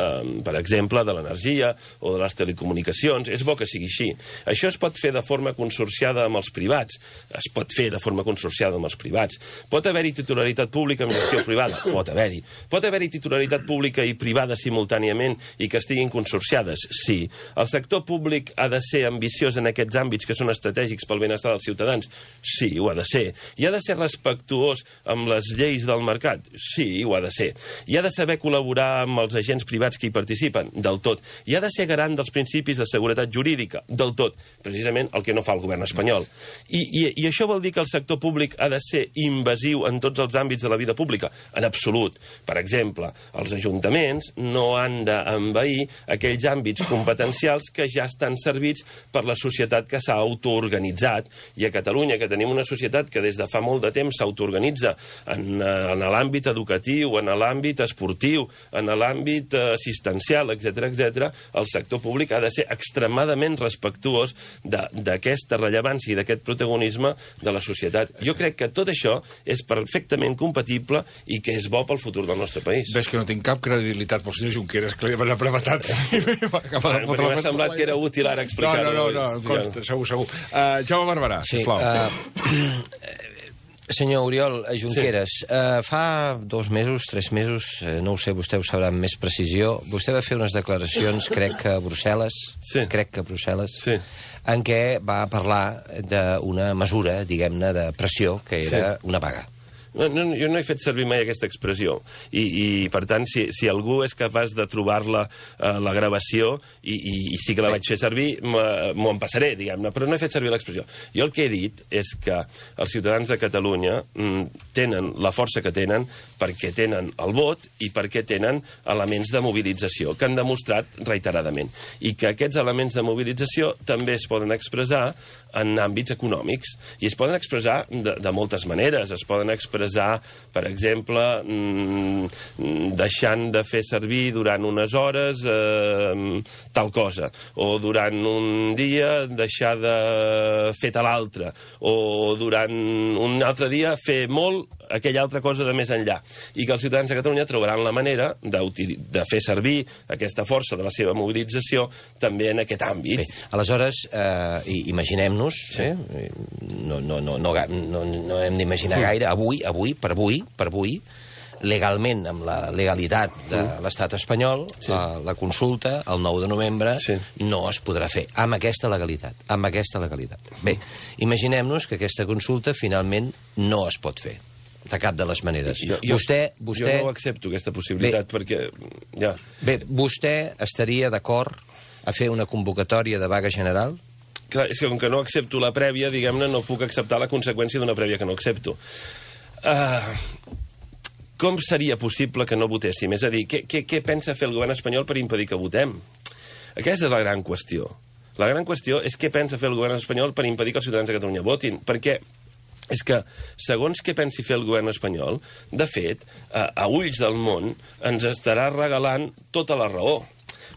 per exemple, de l'energia o de les telecomunicacions. És bo que sigui així. Això es pot fer de forma consorciada amb els privats. Es pot fer de forma consorciada amb els privats. Pot haver-hi titularitat pública amb gestió privada? Pot haver-hi. Pot haver-hi titularitat pública i privada simultàniament i que estiguin consorciades? Sí. El sector públic ha de ser ambiciós en aquests àmbits que són estratègics pel benestar dels ciutadans? Sí, ho ha de ser. I ha ha de ser respectuós amb les lleis del mercat? Sí, ho ha de ser. I ha de saber col·laborar amb els agents privats que hi participen? Del tot. I ha de ser garant dels principis de seguretat jurídica? Del tot. Precisament el que no fa el govern espanyol. I, i, i això vol dir que el sector públic ha de ser invasiu en tots els àmbits de la vida pública? En absolut. Per exemple, els ajuntaments no han d'envair aquells àmbits competencials que ja estan servits per la societat que s'ha autoorganitzat. I a Catalunya, que tenim una societat que des de fa molt de temps s'autoorganitza en, en l'àmbit educatiu, en l'àmbit esportiu, en l'àmbit assistencial, etcètera, etcètera, el sector públic ha de ser extremadament respectuós d'aquesta rellevància i d'aquest protagonisme de la societat. Jo crec que tot això és perfectament compatible i que és bo pel futur del nostre país. Ves que no tinc cap credibilitat pel senyor Junqueras, que li ha apretat. Perquè m'ha semblat que era útil ara explicar-ho. No, no, no, no, consta, segur, segur. Uh, Jaume Barberà, sí, sisplau. Uh, senyor Oriol Junqueras, sí. uh, fa dos mesos, tres mesos, uh, no ho sé, vostè ho sabrà amb més precisió, vostè va fer unes declaracions, crec que a Brussel·les, sí. crec que a Brussel·les, sí. en què va parlar d'una mesura, diguem-ne, de pressió, que era sí. una paga. No, no, jo no he fet servir mai aquesta expressió i, i per tant, si, si algú és capaç de trobar-la, eh, la gravació, i, i, i sí que la vaig fer servir, m'ho empassaré, diguem-ne, però no he fet servir l'expressió. Jo el que he dit és que els ciutadans de Catalunya mm, tenen la força que tenen perquè tenen el vot i perquè tenen elements de mobilització que han demostrat reiteradament, i que aquests elements de mobilització també es poden expressar en àmbits econòmics, i es poden expressar de, de moltes maneres. Es poden expressar, per exemple, mmm, deixant de fer servir durant unes hores eh, tal cosa, o durant un dia deixar de fer tal altre, o durant un altre dia fer molt aquella altra cosa de més enllà, i que els ciutadans de Catalunya trobaran la manera de, de fer servir aquesta força de la seva mobilització també en aquest àmbit. Bé, aleshores, eh, imaginem-nos, sí. eh? no, no, no, no, no, no hem d'imaginar mm. gaire, avui, avui, per avui, per avui, legalment, amb la legalitat de l'estat espanyol, sí. la, la consulta, el nou de novembre, sí. no es podrà fer, amb aquesta legalitat, amb aquesta legalitat. Bé, imaginem-nos que aquesta consulta finalment no es pot fer, de cap de les maneres. Jo, jo, vostè, vostè... jo no accepto aquesta possibilitat, bé, perquè... Ja. Bé, vostè estaria d'acord a fer una convocatòria de vaga general? Clar, és que com que no accepto la prèvia, diguem-ne, no puc acceptar la conseqüència d'una prèvia que no accepto. Uh, com seria possible que no votéssim? És a dir, què, què, què pensa fer el govern espanyol per impedir que votem? Aquesta és la gran qüestió. La gran qüestió és què pensa fer el govern espanyol per impedir que els ciutadans de Catalunya votin. Perquè és que, segons què pensi fer el govern espanyol, de fet, a, a ulls del món, ens estarà regalant tota la raó.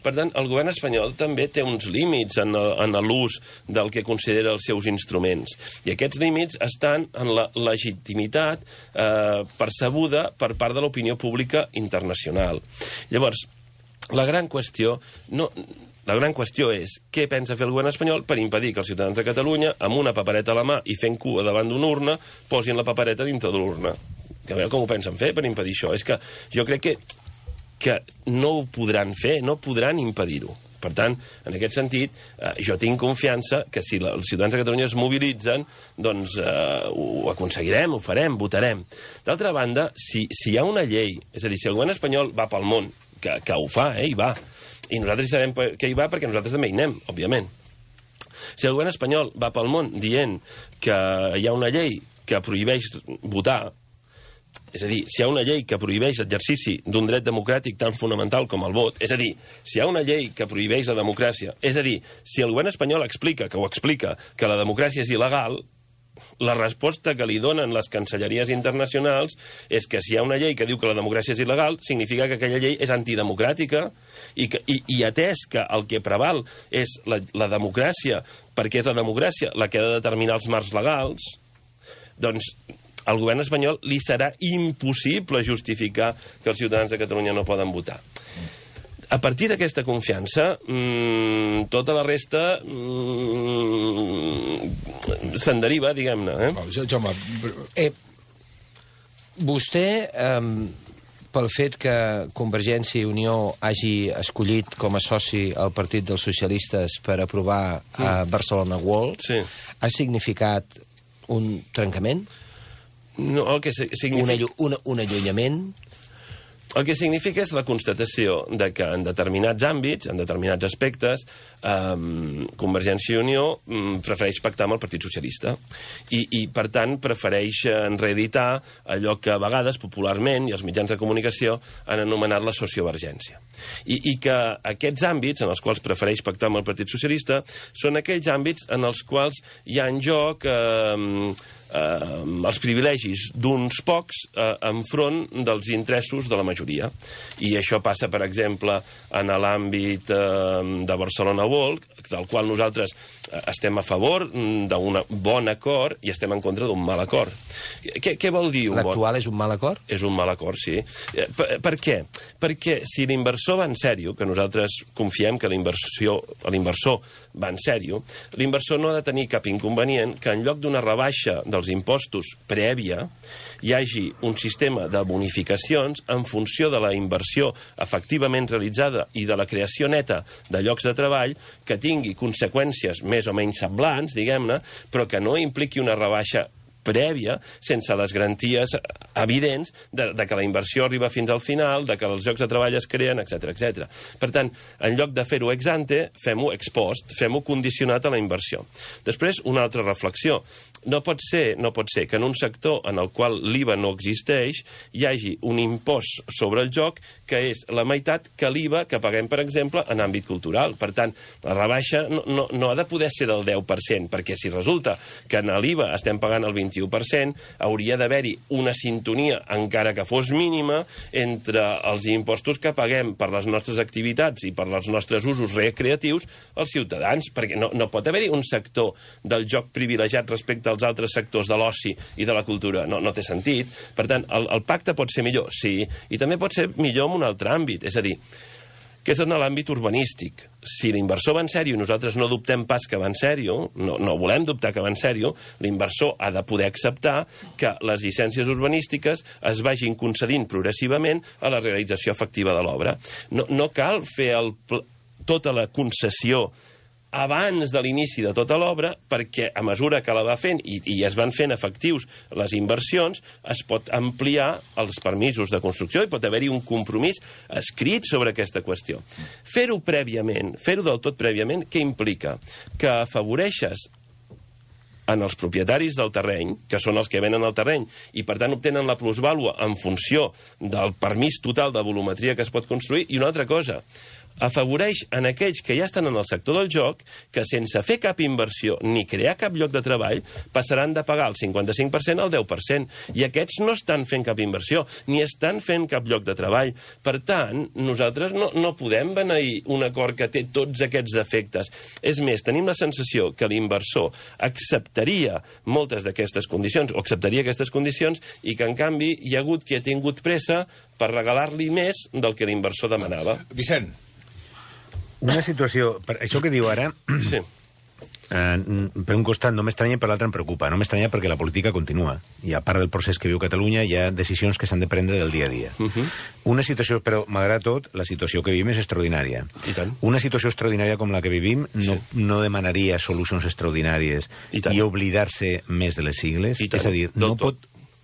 Per tant, el govern espanyol també té uns límits en, en l'ús del que considera els seus instruments. I aquests límits estan en la legitimitat eh, percebuda per part de l'opinió pública internacional. Llavors, la gran qüestió... No, La gran qüestió és què pensa fer el govern espanyol per impedir que els ciutadans de Catalunya, amb una papereta a la mà i fent cua davant d'una urna, posin la papereta dintre de l'urna. A veure com ho pensen fer per impedir això. És que jo crec que, que no ho podran fer, no podran impedir-ho. Per tant, en aquest sentit, eh, jo tinc confiança que si la, els ciutadans de Catalunya es mobilitzen, doncs eh, ho aconseguirem, ho farem, votarem. D'altra banda, si, si hi ha una llei, és a dir, si el govern espanyol va pel món, que, que ho fa, eh, hi va, i nosaltres hi sabem que hi va perquè nosaltres també hi anem, òbviament. Si el govern espanyol va pel món dient que hi ha una llei que prohibeix votar, és a dir, si hi ha una llei que prohibeix l'exercici d'un dret democràtic tan fonamental com el vot, és a dir, si hi ha una llei que prohibeix la democràcia, és a dir, si el govern espanyol explica, que ho explica, que la democràcia és il·legal, la resposta que li donen les cancelleries internacionals és que si hi ha una llei que diu que la democràcia és il·legal, significa que aquella llei és antidemocràtica, i, que, i, i atès que el que preval és la, la democràcia, perquè és la democràcia la que ha de determinar els marcs legals, doncs al govern espanyol li serà impossible justificar que els ciutadans de Catalunya no poden votar. A partir d'aquesta confiança, mmm, tota la resta mmm, se'n deriva, diguem-ne. Eh? Jaume... Eh, vostè, eh, pel fet que Convergència i Unió hagi escollit com a soci el Partit dels Socialistes per aprovar a Barcelona World, sí. ha significat un trencament? No, el que significa... Un, allu un, un allunyament... El que significa és la constatació de que en determinats àmbits, en determinats aspectes, eh, Convergència i Unió eh, prefereix pactar amb el Partit Socialista. I, i per tant, prefereix reeditar allò que a vegades, popularment, i els mitjans de comunicació han anomenat la sociovergència. I, I que aquests àmbits, en els quals prefereix pactar amb el Partit Socialista, són aquells àmbits en els quals hi ha en joc... Eh, eh, els privilegis d'uns pocs eh, enfront dels interessos de la majoria. I això passa, per exemple, en l'àmbit eh, de Barcelona World, del qual nosaltres estem a favor d'un bon acord i estem en contra d'un mal acord. Què, què vol dir un bon... L'actual és un mal acord? És un mal acord, sí. Per, per què? Perquè si l'inversor va en sèrio, que nosaltres confiem que l'inversor va en sèrio, l'inversor no ha de tenir cap inconvenient que en lloc d'una rebaixa dels impostos prèvia hi hagi un sistema de bonificacions en funció de la inversió efectivament realitzada i de la creació neta de llocs de treball que tingui conseqüències més o menys semblants, diguem-ne, però que no impliqui una rebaixa prèvia, sense les garanties evidents de, de que la inversió arriba fins al final, de que els llocs de treball es creen, etcètera, etcètera. Per tant, en lloc de fer-ho ex ante, fem-ho ex post, fem-ho condicionat a la inversió. Després, una altra reflexió. No pot ser, no pot ser que en un sector en el qual l'I V A no existeix hi hagi un impost sobre el joc que és la meitat que l'I V A que paguem, per exemple, en àmbit cultural. Per tant, la rebaixa no, no, no ha de poder ser del deu per cent, perquè si resulta que en l'I V A estem pagant el vint-i-u per cent, hauria d'haver-hi una sintonia, encara que fos mínima, entre els impostos que paguem per les nostres activitats i per els nostres usos recreatius als ciutadans, perquè no, no pot haver-hi un sector del joc privilegiat respecte als altres sectors de l'oci i de la cultura. No, no té sentit. Per tant, el, el pacte pot ser millor, sí, i també pot ser millor en un altre àmbit, és a dir, que és en l'àmbit urbanístic. Si l'inversor va en sèrio i nosaltres no dubtem pas que va en sèrio, no, no volem dubtar que va en sèrio, l'inversor ha de poder acceptar que les llicències urbanístiques es vagin concedint progressivament a la realització efectiva de l'obra. No, no cal fer el, tota la concessió abans de l'inici de tota l'obra, perquè a mesura que la va fent i, i es van fent efectius les inversions, es pot ampliar els permisos de construcció i pot haver-hi un compromís escrit sobre aquesta qüestió. Fer-ho prèviament, fer-ho del tot prèviament, què implica? Que afavoreixes en els propietaris del terreny, que són els que venen el terreny, i per tant obtenen la plusvàlua en funció del permís total de volumetria que es pot construir, i una altra cosa, afavoreix en aquells que ja estan en el sector del joc que sense fer cap inversió ni crear cap lloc de treball passaran de pagar el cinquanta-cinc per cent al deu per cent. I aquests no estan fent cap inversió, ni estan fent cap lloc de treball. Per tant, nosaltres no, no podem beneir un acord que té tots aquests defectes. És més, tenim la sensació que l'inversor acceptaria moltes d'aquestes condicions, o acceptaria aquestes condicions, i que, en canvi, hi ha hagut qui ha tingut pressa per regalar-li més del que l'inversor demanava. Vicent. Una situació... Per això que diu ara... Sí. Eh, per un costat no m'estranya i per l'altre em preocupa. No m'estranya perquè la política continua. I a part del procés que viu Catalunya hi ha decisions que s'han de prendre del dia a dia. Uh -huh. Una situació, però malgrat tot, la situació que vivim és extraordinària. I tant. Una situació extraordinària com la que vivim no, sí. no demanaria solucions extraordinàries i, i oblidar-se més de les sigles. És a dir, no tot. pot...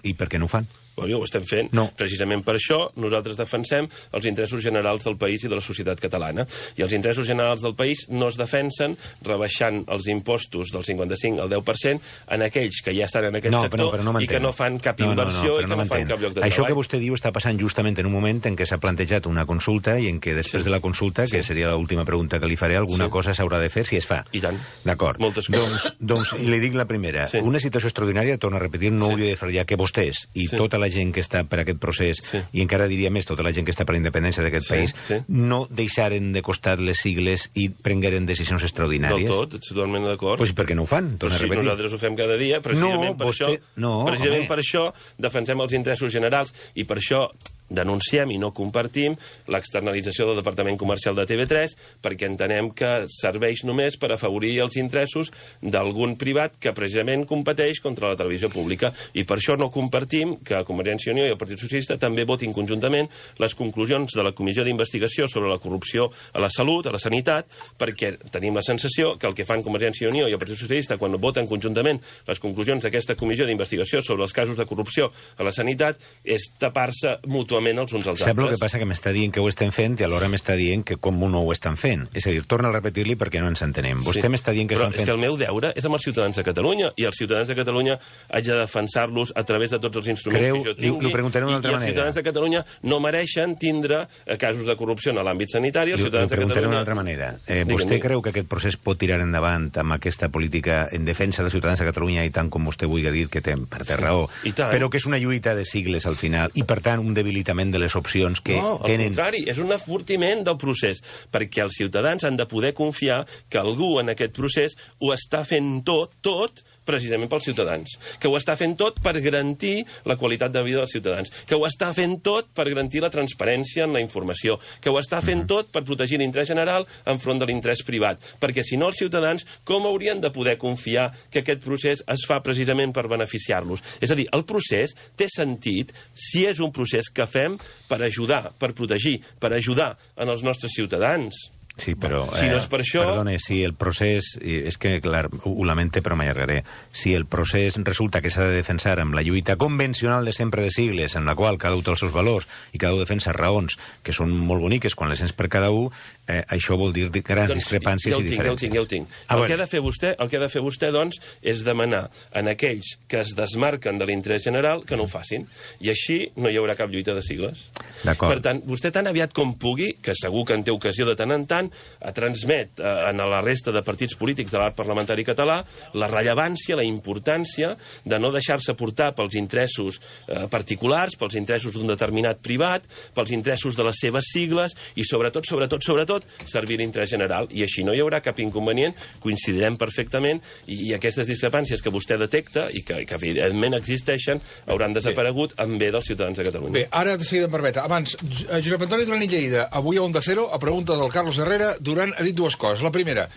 I per què no ho fan? Bueno, ho estem fent. No. Precisament per això nosaltres defensem els interessos generals del país i de la societat catalana. I els interessos generals del país no es defensen rebaixant els impostos del cinquanta-cinc al deu per cent en aquells que ja estan en aquest no, sector però, però no i que no fan cap inversió no, no, no, i que no, no fan cap lloc de Això treball. que vostè diu està passant justament en un moment en què s'ha plantejat una consulta i en què després sí. de la consulta, que sí. seria l'última pregunta que li faré, alguna sí. cosa s'haurà de fer si es fa. I tant. D'acord. Moltes coses. Doncs, doncs li dic la primera. Sí. Una situació extraordinària, torno a repetir, no sí. hauria de fallar que vostès i sí. tota la gent que està per aquest procés, sí. i encara diria més tota la gent que està per la independència d'aquest sí, país, sí. no deixaren de costat les sigles i prengueren decisions extraordinàries. Del tot, ets totalment d'acord. Pues per què no ho fan? Pues sí, nosaltres ho fem cada dia, precisament, no, per, vostè... això, no, precisament per això defensem els interessos generals i per això denunciem i no compartim l'externalització del Departament Comercial de T V tres perquè entenem que serveix només per afavorir els interessos d'algun privat que precisament competeix contra la televisió pública. I per això no compartim que Convergència i Unió i el Partit Socialista també votin conjuntament les conclusions de la Comissió d'Investigació sobre la corrupció a la salut, a la sanitat, perquè tenim la sensació que el que fan Convergència i Unió i el Partit Socialista quan voten conjuntament les conclusions d'aquesta comissió d'investigació sobre els casos de corrupció a la sanitat és tapar-se mútuament els uns als altres. Sap el que passa? Que m'està dient que ho estem fent i alhora m'està dient que com no ho estan fent. És a dir, torna a repetir-li perquè no ens entenem. Vostè Sí. m'està dient que Però estan és fent... que el meu deure és amb els ciutadans de Catalunya i els ciutadans de Catalunya haig de defensar-los a través de tots els instruments Creu- que jo li- tingui. li preguntaré d'una I, altra I els manera. ciutadans de Catalunya no mereixen tindre eh, casos de corrupció en l'àmbit sanitari. Els Li, li ciutadans de preguntaré Catalunya... d'una altra manera. Eh, Digue'm, vostè digue'm. creu que aquest procés pot tirar endavant amb aquesta política en defensa dels ciutadans de Catalunya i tant com vostè vulgui dir que té, per té Sí. raó, I tant. però que és una lluita de sigles al final i per tant un debilitament de les opcions que no, al tenen... contrari, és un afortiment del procés, perquè els ciutadans han de poder confiar que algú en aquest procés ho està fent tot, tot, precisament pels ciutadans, que ho està fent tot per garantir la qualitat de vida dels ciutadans, que ho està fent tot per garantir la transparència en la informació, que ho està fent tot per protegir l'interès general enfront de l'interès privat, perquè si no els ciutadans com haurien de poder confiar que aquest procés es fa precisament per beneficiar-los? És a dir, el procés té sentit si és un procés que fem per ajudar, per protegir, per ajudar en els nostres ciutadans. Sí, però... Si no és per això- Perdone, si el procés... eh, És que, clar, ho ho lamente, però m'allargaré. Si el procés resulta que s'ha de defensar amb la lluita convencional de sempre de sigles, en la qual cada un té els seus valors i cada un defensa raons que són molt boniques quan les sents per cada un, eh, això vol dir grans Doncs discrepàncies ja ho i tinc, diferències. ja ho tinc, ja ho tinc. Ah, el, bueno. que ha de fer vostè, el que ha de fer vostè, doncs, és demanar en aquells que es desmarquen de l'interès general que no ho facin. I així no hi haurà cap lluita de sigles. D'acord. Per tant, vostè tan aviat com pugui, que segur que en té ocasió de tant en tant, a transmet eh, a la resta de partits polítics de l'art parlamentari català la rellevància, la importància de no deixar-se portar pels interessos eh, particulars, pels interessos d'un determinat privat, pels interessos de les seves sigles i sobretot, sobretot, sobretot, servir l'interès general. I així no hi haurà cap inconvenient, coincidirem perfectament i, i aquestes discrepàncies que vostè detecta i que, que evidentment existeixen hauran desaparegut en bé dels ciutadans de Catalunya. Bé, ara de seguida em permet. Abans, J- Josep Antoni Duran i Lleida, avui a Onda Cero, a pregunta del Carlos Herrera, Duran ha dit dues coses. La primera,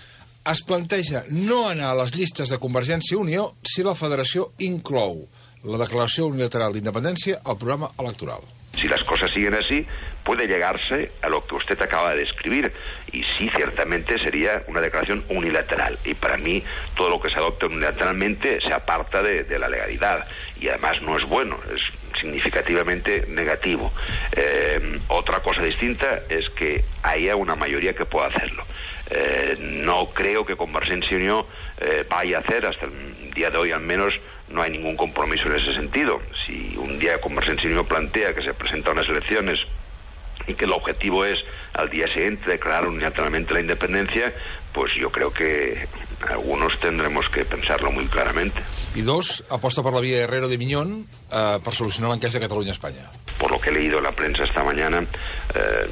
es planteja no anar a les llistes de Convergència i Unió si la federació inclou la declaració unilateral d'independència al programa electoral. Si las cosas siguen así, puede llegarse a lo que usted acaba de describir. Y sí, ciertamente sería una declaración unilateral. Y para mí, todo lo que se adopte unilateralmente se aparta de, de la legalidad. Y además no es bueno, es significativamente negativo. Eh, otra cosa distinta es que haya una mayoría que pueda hacerlo. Eh, no creo que Convergencia y Unió eh, vaya a hacer, hasta el día de hoy al menos, no hay ningún compromiso en ese sentido. Si un día Convergencia y Unió plantea que se presenta a unas elecciones y que el objetivo es al día siguiente declarar unilateralmente la independencia, pues yo creo que algunos tendremos que pensarlo muy claramente. I dos, aposta per la via Herrero de Miñón eh, per solucionar l'encaix de Catalunya-Espanya. Por lo que he leído en la prensa esta mañana, eh,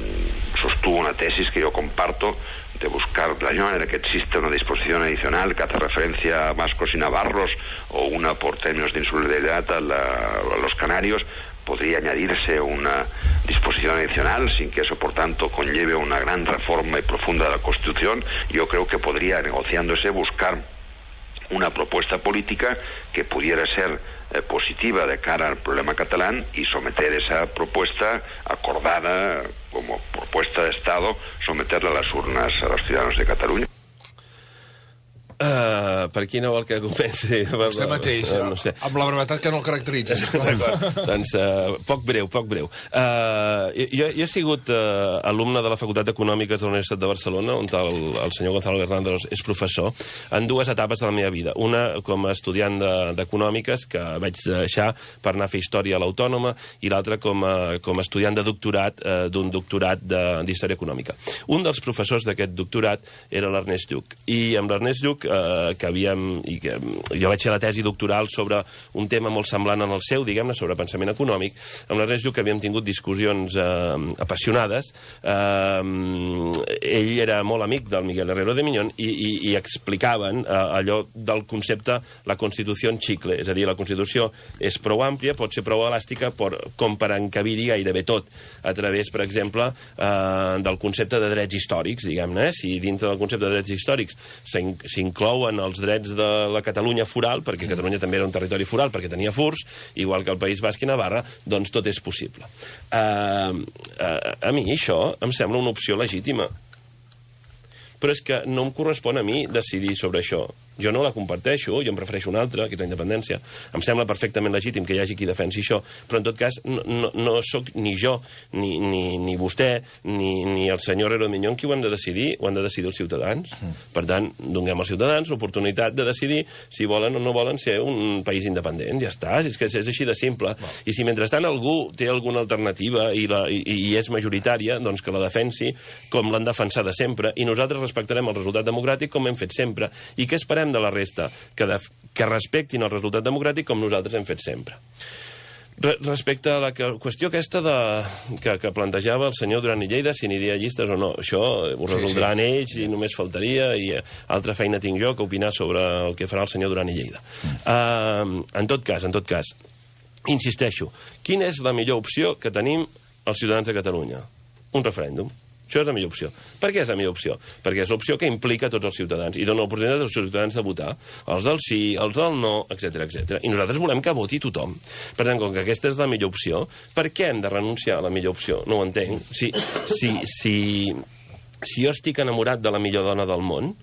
sostuvo una tesis que yo comparto de buscar de la misma manera que existe una disposición adicional que hace referencia a vascos y navarros o una por términos de insularidad a, la, a los canarios, podría añadirse una disposición adicional sin que eso, por tanto, conlleve una gran reforma y profunda de la Constitución. Yo creo que podría, negociándose, buscar una propuesta política que pudiera ser eh, positiva de cara al problema catalán y someter esa propuesta acordada como propuesta de Estado, someterla a las urnas a los ciudadanos de Cataluña. Uh, per qui no vol que comenci? Vostè mateix, Uh, no sé. amb la brevetat que no el caracteritza. D'acord. Doncs uh, poc breu, poc breu. Uh, jo, jo he sigut uh, alumne de la Facultat d'Econòmiques de la Universitat de Barcelona, on el, el senyor Gonzalo Hernández és professor, en dues etapes de la meva vida. Una com a estudiant d'Econòmiques, que vaig deixar per anar a fer història a l'Autònoma, i l'altra com, a, com a estudiant de doctorat, uh, d'un doctorat d'Història Econòmica. Un dels professors d'aquest doctorat era l'Ernest Lluch, i amb l'Ernest Lluch eh, que havíem... I que jo vaig fer la tesi doctoral sobre un tema molt semblant en el seu, diguem-ne, sobre pensament econòmic. Amb l'Ernest diu que havíem tingut discussions eh, apassionades. Eh, ell era molt amic del Miguel Herrero de Miñón i, i, i explicaven eh, allò del concepte la Constitució en xicle, és a dir, la Constitució és prou àmplia, pot ser prou elàstica per, com per encabir-hi gairebé tot, a través, per exemple, eh, del concepte de drets històrics, diguem-ne. Eh? Si dintre del concepte de drets històrics s'inclouen els drets de la Catalunya foral, perquè Catalunya també era un territori foral, perquè tenia furs, igual que el País Basc i Navarra, doncs tot és possible. Uh, uh, a mi això em sembla una opció legítima. Però és que no em correspon a mi decidir sobre això. Jo no la comparteixo, jo em prefereixo una altra, que és la independència. Em sembla perfectament legítim que hi hagi qui defensi això, però en tot cas no, no, no sóc ni jo, ni, ni, ni vostè, ni, ni el senyor Herrero de Miñón qui ho han de decidir, ho han de decidir els ciutadans. Per tant, donem als ciutadans l'oportunitat de decidir si volen o no volen ser un país independent. Ja està, és que és així de simple. I si mentrestant algú té alguna alternativa i, la, i, i és majoritària, doncs que la defensi com l'han defensada sempre, i nosaltres respectarem el resultat democràtic com hem fet sempre. I què esperem de la resta? Que, de, que respectin el resultat democràtic com nosaltres hem fet sempre. Re, respecte a la que, qüestió aquesta de, que, que plantejava el senyor Duran i Lleida, si aniria a llistes o no, això ho resoldran sí, sí. ells i només faltaria, i altra feina tinc jo que opinar sobre el que farà el senyor Duran i Lleida. Uh, en tot cas, en tot cas, insisteixo, quina és la millor opció que tenim els ciutadans de Catalunya? Un referèndum. Això és la millor opció. Per què és la millor opció? Perquè és l'opció que implica tots els ciutadans i dona l'oportunitat als ciutadans de votar, els del sí, els del no, etcètera, etcètera. I nosaltres volem que voti tothom. Per tant, com que aquesta és la millor opció, per què hem de renunciar a la millor opció? No ho entenc. Si, si, si, si jo estic enamorat de la millor dona del món,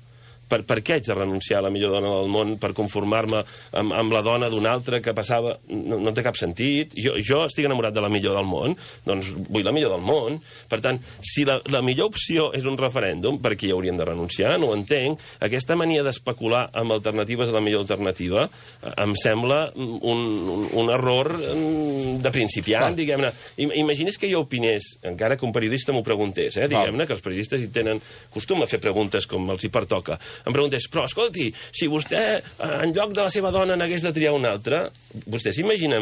Per, per què haig de renunciar a la millor dona del món per conformar-me amb, amb la dona d'un altre que passava... No, no té cap sentit. Jo, jo estic enamorat de la millor del món, doncs vull la millor del món. Per tant, si la, la millor opció és un referèndum, per què hi hauríem de renunciar? No ho entenc. Aquesta mania d'especular amb alternatives a la millor alternativa em sembla un, un, un error de principiant, diguem-ne. Imagines que jo opinés, encara que un periodista m'ho preguntés, eh, diguem-ne, que els periodistes hi tenen costum a fer preguntes com els hi pertoca. Em preguntés, però escolti, si vostè en lloc de la seva dona n'hagués de triar una altra, vostè s'imagina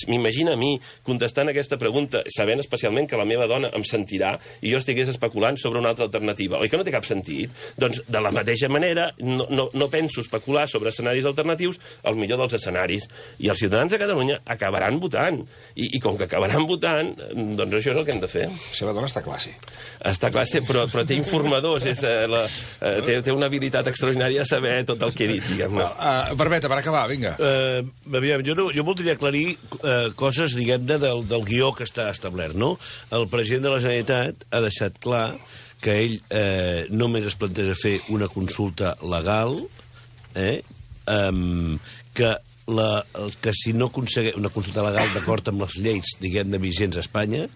m'imagina a mi contestant aquesta pregunta sabent especialment que la meva dona em sentirà i jo estigués especulant sobre una altra alternativa. Oi que no té cap sentit? Doncs de la mateixa manera no, no, no penso especular sobre escenaris alternatius al millor dels escenaris. I els ciutadans de Catalunya acabaran votant. I, i com que acabaran votant, doncs això és el que hem de fer. La seva dona està classe. Està classe, però, però té informadors, és, eh, la, eh, té, té una habilitat extraordinària de saber tot el que he dit, diguem-ne. Uh, Barbeta, per acabar, vinga. Uh, aviam, jo, no, jo voldria aclarir uh, coses, diguem-ne, del, del guió que està establert, no? El president de la Generalitat ha deixat clar que ell eh, només es planteja fer una consulta legal, eh, um, que, la, que si no aconsegueix una consulta legal d'acord amb les lleis, diguem-ne, vigents a Espanya,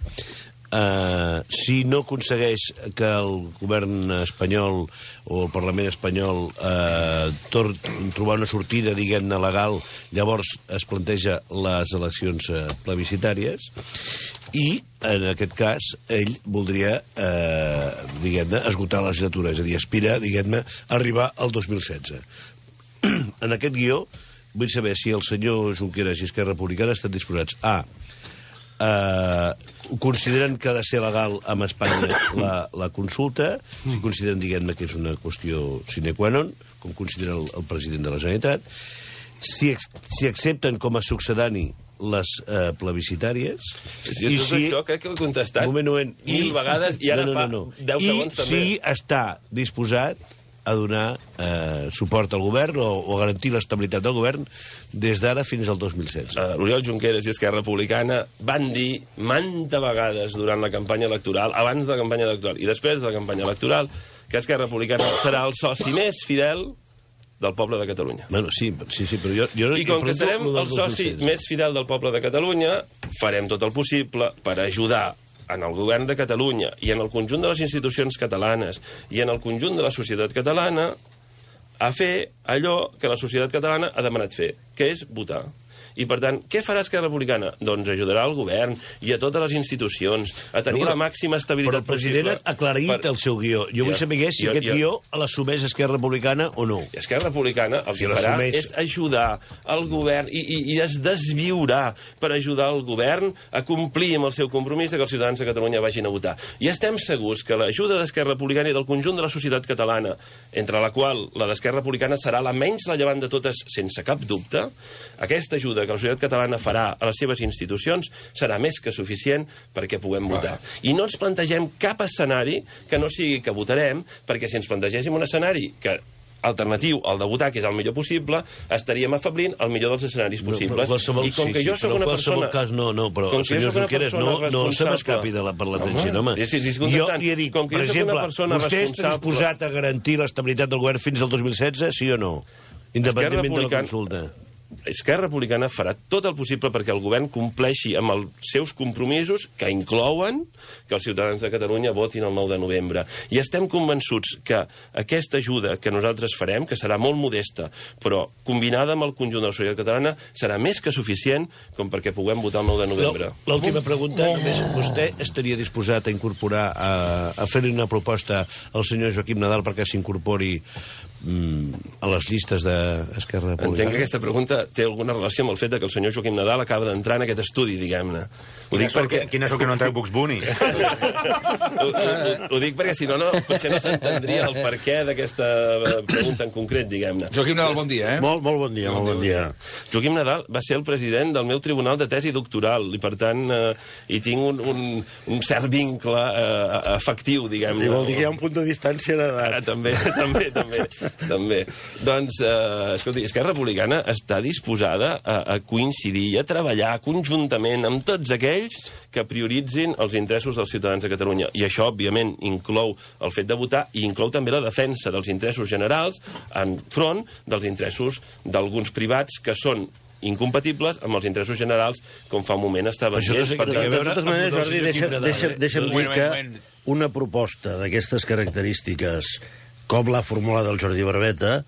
Uh, si no aconsegueix que el govern espanyol o el Parlament espanyol uh, tor- trobar una sortida, diguem-ne, legal, llavors es planteja les eleccions uh, plebiscitàries i, en aquest cas, ell voldria, uh, diguem-ne, esgotar la legislatura, és a dir, aspira, diguem-ne, a arribar al dos mil setze. En aquest guió vull saber si el senyor Junqueras i Esquerra Republicana estan disposats a Uh, consideren que ha de ser legal amb Espanya la, la consulta, si consideren, diguem-ne, que és una qüestió sine qua non, com considera el, el president de la Generalitat, si, si accepten com a succedani les uh, plebiscitàries... Si i si... això crec que ho he contestat moment, moment, mil i, vegades i ara no, no, no, no. fa deu segons també. I si està disposat a donar eh, suport al govern o, o garantir l'estabilitat del govern des d'ara fins al dos mil setze. Uh, L'Oriol Junqueras i Esquerra Republicana van dir manta vegades durant la campanya electoral, abans de la campanya electoral i després de la campanya electoral, que Esquerra Republicana serà el soci més fidel del poble de Catalunya. Bueno, sí, sí, sí, però jo... jo I com que serem el soci més fidel del poble de Catalunya, farem tot el possible per ajudar en el govern de Catalunya i en el conjunt de les institucions catalanes i en el conjunt de la societat catalana a fer allò que la societat catalana ha demanat fer, que és votar. I, per tant, què farà Esquerra Republicana? Doncs ajudarà el govern i a totes les institucions a tenir però, la màxima estabilitat possible. Però el president ha aclarit per... el seu guió. Jo vull saber si jo, aquest jo... guió l'assumeix Esquerra Republicana o no. I Esquerra Republicana el si que farà és ajudar el govern i, i, i es desviurà per ajudar el govern a complir amb el seu compromís de que els ciutadans de Catalunya vagin a votar. I estem segurs que l'ajuda d'Esquerra Republicana i del conjunt de la societat catalana, entre la qual la d'Esquerra Republicana serà la menys rellevant de totes, sense cap dubte, aquesta ajuda que la societat catalana farà a les seves institucions serà més que suficient perquè puguem votar. I no ens plantegem cap escenari que no sigui que votarem, perquè si ens plantegéssim un escenari que alternatiu al de votar, que és el millor possible, estaríem afablint el millor dels escenaris possibles. No, I com que sí, jo sí, sóc una persona... Cas, no, no, però, senyor Junqueras, no, no se m'escapi de la, per l'atenció, home. Sí, sí, sí, jo li he dit, com que per jo exemple, persona vostè està disposat a garantir l'estabilitat del govern fins al dos mil setze, sí o no? Independentment de la consulta. Esquerra Republicana farà tot el possible perquè el govern compleixi amb els seus compromisos, que inclouen que els ciutadans de Catalunya votin el nou de novembre. I estem convençuts que aquesta ajuda que nosaltres farem, que serà molt modesta, però combinada amb el conjunt de la societat catalana, serà més que suficient com perquè puguem votar el nou de novembre. L'última pregunta, només vostè estaria disposat a incorporar, a, a fer-li una proposta al senyor Joaquim Nadal perquè s'incorpori a les llistes d'Esquerra Republicana? Entenc que aquesta pregunta té alguna relació amb el fet que el senyor Joaquim Nadal acaba d'entrar en aquest estudi, diguem-ne. Ho dic perquè... Quina és el que no entra en Bugs Bunny? ho, ho, ho dic perquè si no, no potser no s'entendria el perquè d'aquesta pregunta en concret, diguem-ne. Joaquim Nadal, bon dia, eh? Molt, molt bon dia, molt bon dia. Joaquim Nadal va ser el president del meu tribunal de tesi doctoral i, per tant, eh, hi tinc un, un, un cert vincle eh, efectiu, diguem-ne. I vol dir que hi ha un punt de distància d'edat. Ah, també, també, també. També. Doncs, eh, escolti, Esquerra Republicana està disposada a, a coincidir i a treballar conjuntament amb tots aquells que prioritzin els interessos dels ciutadans de Catalunya. I això, òbviament, inclou el fet de votar i inclou també la defensa dels interessos generals enfront dels interessos d'alguns privats que són incompatibles amb els interessos generals, com fa un moment estava dient. No sé per de totes maneres, Jordi, deixa'm deixa, deixa dir que una proposta d'aquestes característiques com l'ha formulat el Jordi Barbeta,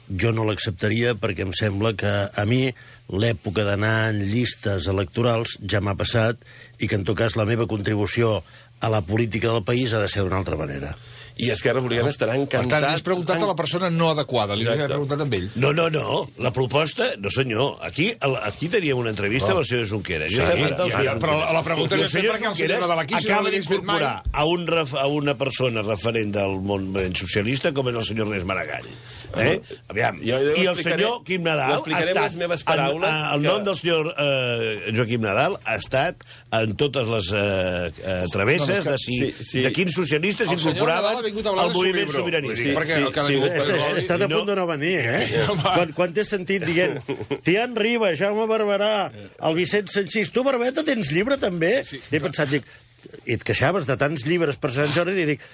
jo no l'acceptaria perquè em sembla que a mi l'època d'anar en llistes electorals ja m'ha passat i que, en tot cas, la meva contribució a la política del país ha de ser d'una altra manera. I Esquerra Republicana estarà encantat... Per tant, has preguntat a la persona no adequada, li he preguntat amb ell. No, no, no, la proposta... No, senyor, aquí, aquí teníem una entrevista amb el senyor Junqueras. Sí, ja, però la pregunta és perquè el senyor Nadal aquí acaba d'incorporar a, un a una persona referent del món socialista com és el senyor Ernest Maragall. Eh? Aviam. Jo, jo I el senyor Quim Nadal ha estat... Les meves paraules, en, el nom que... del senyor eh, Joaquim Nadal ha estat en totes les eh, eh, travesses no, que, de, si, sí, sí. de quins socialistes s'incorporaven al moviment sobiranista. Sí, sí, sí, sí, sí, està a punt de no venir, eh? Quan, quan t'he sentit dient Tian Riba, Jaume Barberà, el Vicent Sanchís, tu, Barbeta, tens llibre també? He pensat, dic, i et queixaves de tants llibres per Sant Jordi i dic,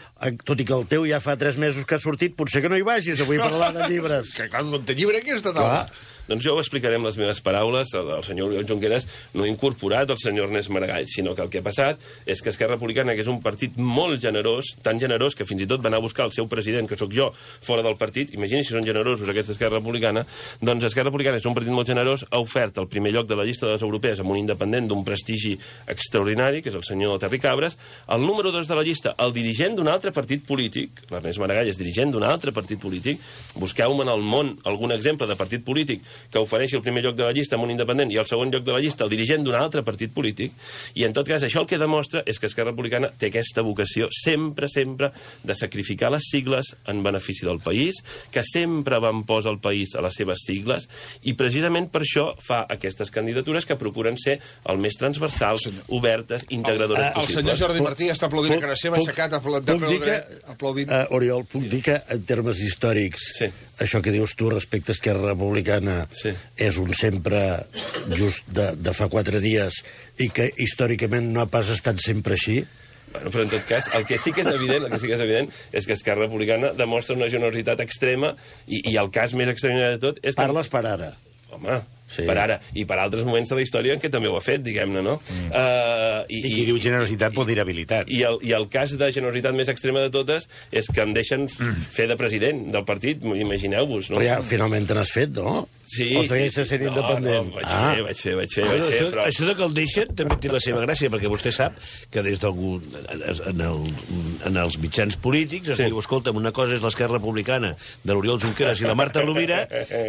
tot i que el teu ja fa tres mesos que ha sortit, potser que no hi vagis avui a parlar de llibres. Que clar, no té llibre aquesta taula. Doncs jo ho explicaré amb les meves paraules. El, el senyor Oriol Junqueras no ha incorporat el senyor Ernest Maragall, sinó que el que ha passat és que Esquerra Republicana, que és un partit molt generós, tan generós que fins i tot va anar a buscar el seu president, que sóc jo, fora del partit, imagini si són generosos aquests d'Esquerra Republicana, doncs Esquerra Republicana és un partit molt generós, ha ofert el primer lloc de la llista de les europees amb un independent d'un prestigi extraordinari, que és el senyor Terry Cabres, el número dos de la llista, el dirigent d'un altre partit polític, l'Ernest Maragall és dirigent d'un altre partit polític, busqueu-me en el món algun exemple de partit polític que ofereixi el primer lloc de la llista amb un independent i el segon lloc de la llista el dirigent d'un altre partit polític, i en tot cas això el que demostra és que Esquerra Republicana té aquesta vocació sempre, sempre de sacrificar les sigles en benefici del país, que sempre van posar el país a les seves sigles, i precisament per això fa aquestes candidatures que procuren ser el més transversals, obertes, integradores el, possibles. El senyor Jordi Martí està aplaudint a cara seva, aixecat, aplaudint. Uh, Oriol, puc dir que en termes històrics sí. això que dius tu respecte a Esquerra Republicana sí. és un sempre just de, de fa quatre dies i que històricament no ha pas estat sempre així? Bueno, però en tot cas, el que sí que és evident, el que sí que és evident és que Esquerra Republicana demostra una generositat extrema i, i el cas més extraordinari de tot és que... Parles per ara. Home, sí. per ara, i per altres moments de la història en què també ho ha fet, diguem-ne, no? Mm. Uh, i, I qui diu generositat pot dir habilitat. I el, I el cas de generositat més extrema de totes és que em deixen mm. fer de president del partit, imagineu-vos, no? Però ja finalment te n'has fet, no? Sí, o segueixes sí, sí. sent independent? No, no, vaig ah. fer, vaig fer, vaig fer, Bueno, vaig fer, això, però... això de que el deixen també té la seva gràcia, perquè vostè sap que des d'algun... En, el, en els mitjans polítics es Sí. diu, escolta'm, una cosa és l'Esquerra Republicana de l'Oriol Junqueras i la Marta Rovira,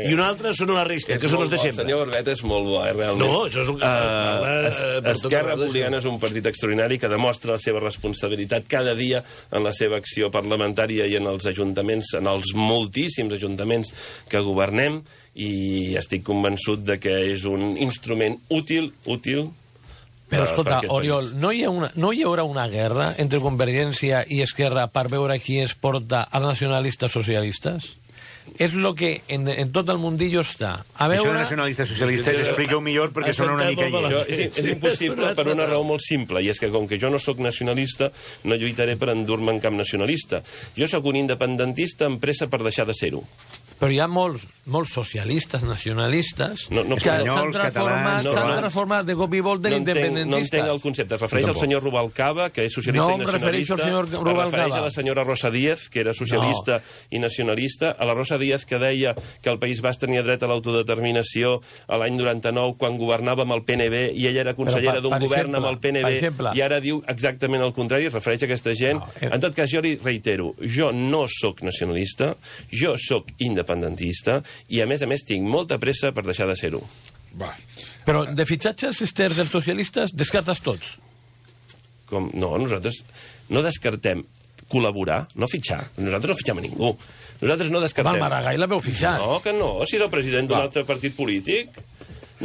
i una altra són la resta, que són els de El sempre. senyor Barbeta és molt bo, eh, realment. No, això és un- Uh, es- per tot Esquerra arreu, Republicana és un partit extraordinari que demostra la seva responsabilitat cada dia en la seva acció parlamentària i en els ajuntaments, en els moltíssims ajuntaments que governem, i estic convençut de que és un instrument útil, útil, Però, per- escolta, per aquest Oriol, país. no hi, ha una, no hi haurà una guerra entre Convergència i Esquerra per veure qui es porta als nacionalistes socialistes? És el que en, en tot el mundillo està. A Això de veure... nacionalistes socialistes explica-ho millor perquè Has sona una sentat mica molt lleig. Això és, és impossible per una raó molt simple, i és que com que jo no sóc nacionalista, no lluitaré per endur-me en cap nacionalista. Jo sóc un independentista amb pressa per deixar de ser-ho. Però hi ha molts, molts socialistes, nacionalistes, No, no, que s'han espanyols, transformat, catalans, s'han no, transformat de cop i volta en No entenc, no independentistes. entenc el concepte. Es refereix al senyor Rubalcaba, que és socialista No i em nacionalista. refereixo al senyor Es Rubalcaba. refereix a la senyora Rosa Díez, que era socialista i nacionalista. A la Rosa Díez, que deia que el País Basc tenia dret a l'autodeterminació a l'any noranta-nou, quan governava amb el P N B, i ella era consellera Però, per- d'un per govern exemple, amb el P N per B, exemple. i ara diu exactament el contrari, es refereix a aquesta gent. No, eh. En tot cas, jo li reitero, jo no sóc nacionalista, jo sóc independentista, i a més a més tinc molta pressa per deixar de ser-ho. Va. Però de fitxatges externs dels socialistes descartes tots. Com, no, nosaltres no descartem col·laborar, no fitxar. Nosaltres no fitxem a ningú. Nosaltres no Val, descartem... Maragall l'haveu fitxat. No, que no, si és el president d'un altre partit polític.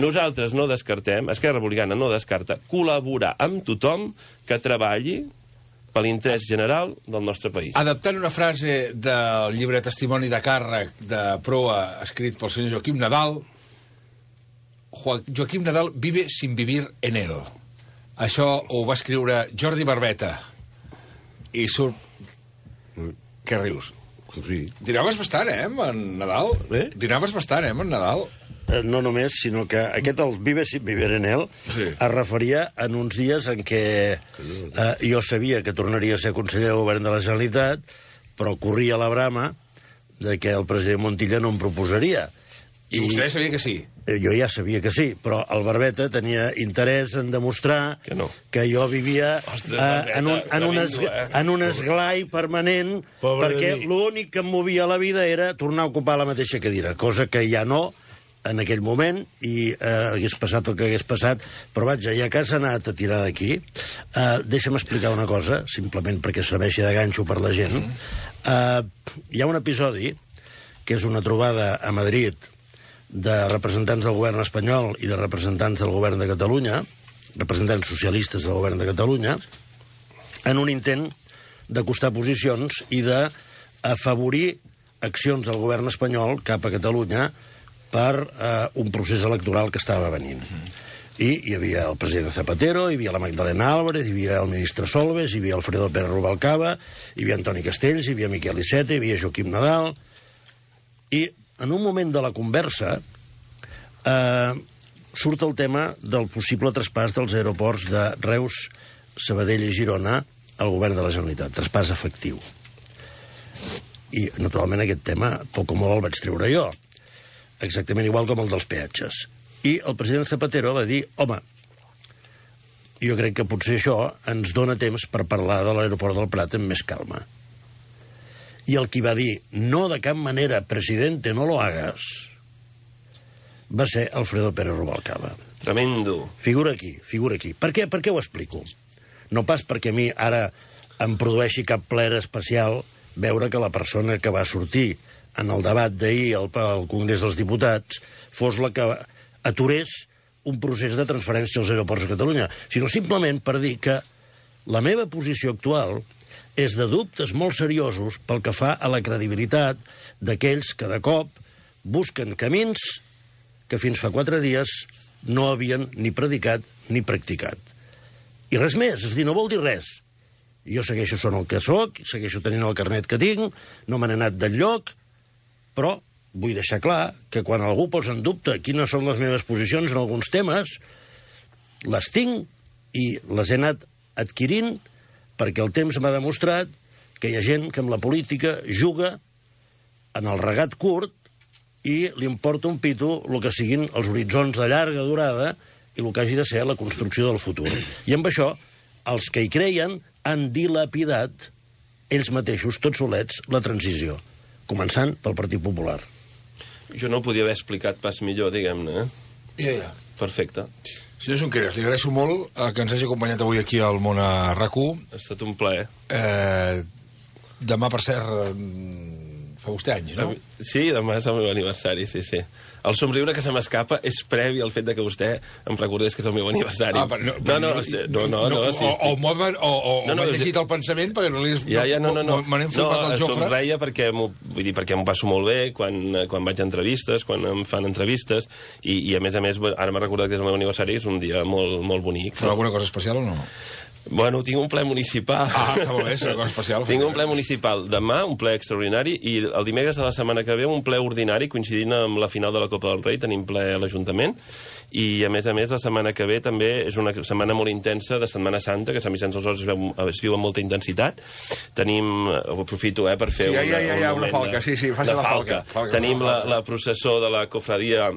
Nosaltres no descartem, Esquerra Republicana no descarta col·laborar amb tothom que treballi per l'interès general del nostre país. Adaptant una frase del llibre Testimoni de càrrec de proa escrit pel senyor Joaquim Nadal, Jo- Joaquim Nadal vive sin vivir en él. Això ho va escriure Jordi Barbeta. I surt... Què rius? Sí. Dinaves bastant, eh, amb en Nadal? Eh? Dinaves bastant, eh, amb en Nadal? Eh, No només, sinó que aquest, el Vive sin vivir en él, Sí. es referia en uns dies en què eh, jo sabia que tornaria a ser conseller de govern de la Generalitat, però corria la brama de que el president Montilla no em proposaria. I vostè sabia que sí. Eh, Jo ja sabia que sí, però el Barbeta tenia interès en demostrar Que no. que jo vivia Ostres, eh, Barbeta, en, un, en, un es, tremendo, eh? en un esglai permanent, Pobre perquè de mi. l'únic que em movia a la vida era tornar a ocupar la mateixa cadira, cosa que ja no en aquell moment, i eh, hagués passat el que hagués passat, però vaja, ja que has anat a tirar d'aquí, eh, deixa'm explicar una cosa, simplement perquè serveixi de ganxo per la gent. Eh, hi ha un episodi, que és una trobada a Madrid de representants del govern espanyol i de representants del govern de Catalunya, representants socialistes del govern de Catalunya, en un intent d'acostar posicions i d'afavorir accions del govern espanyol cap a Catalunya per eh, un procés electoral que estava venint. I hi havia el president Zapatero, hi havia la Magdalena Álvarez, hi havia el ministre Solbes, hi havia Alfredo Pérez Rubalcaba, hi havia Antoni Castells, hi havia Miquel Iceta, hi havia Joaquim Nadal. I en un moment de la conversa eh, surt el tema del possible traspàs dels aeroports de Reus, Sabadell i Girona al govern de la Generalitat, traspàs efectiu. I, naturalment, aquest tema, poc o molt el vaig treure jo, exactament igual com el dels peatges. I el president Zapatero va dir, home, jo crec que potser això ens dona temps per parlar de l'aeroport del Prat amb més calma. I el qui va dir, no de cap manera, presidente, no lo hagas, va ser Alfredo Pérez Rubalcaba. Tremendo. Figura aquí, figura aquí. Per què, per què ho explico? No pas perquè a mi ara em produeixi cap plaer especial veure que la persona que va sortir en el debat d'ahir al, al Congrés dels Diputats fos la que aturés un procés de transferència als aeroports de Catalunya, sinó simplement per dir que la meva posició actual és de dubtes molt seriosos pel que fa a la credibilitat d'aquells que de cop busquen camins que fins fa quatre dies no havien ni predicat ni practicat. I res més, és a dir, no vol dir res. Jo segueixo sent el que sóc, segueixo tenint el carnet que tinc, no me n'he anat d'enlloc, però vull deixar clar que quan algú posa en dubte quines són les meves posicions en alguns temes, les tinc i les he anat adquirint perquè el temps m'ha demostrat que hi ha gent que amb la política juga en el regat curt i li importa un pito el que siguin els horitzons de llarga durada i el que hagi de ser la construcció del futur. I amb això, els que hi creien han dilapidat ells mateixos, tots solets, la transició, començant pel Partit Popular. Jo no ho podia haver explicat pas millor, diguem-ne, eh? Ja, ja. Perfecte. Senyor Junqueras, li agraeixo molt eh, que ens hagi acompanyat avui aquí al Món a RAC u. Ha estat un plaer. Eh, demà, per cert, eh, fa vostè anys, no? Sí, demà és el meu aniversari, sí, sí. El somriure que se m'escapa és previ al fet de que vostè em recordés que és el meu aniversari. Ah, però no, no, no, no, no, no, no, sí, o, o, o, o, o no, no, m'he llegit el pensament perquè no li... Ja, ja, no, no, no. Me n'he format no, el Jofre. Somreia perquè m'ho, vull dir, perquè m'ho passo molt bé quan, quan vaig a entrevistes, quan em fan entrevistes, i, i a més a més, ara m'ha recordat que és el meu aniversari, és un dia molt, molt bonic. Farà alguna cosa especial o no? Bueno, tinc un ple municipal. Ah, està molt bé, és una cosa especial. Tinc un ple municipal demà, un ple extraordinari, i el dimecres de la setmana que ve un ple ordinari, coincidint amb la final de la Copa del Rei, tenim ple a l'Ajuntament, i a més a més la setmana que ve també és una setmana molt intensa de Setmana Santa, que a Sant Vicenç dels Horts es, veu, es viu amb molta intensitat. Tenim, ho aprofito eh, per fer sí, ja, ja, ja, ja, un una falca, de, sí, sí, faci de la falca. falca. falca Tenim la, la processó de la cofradia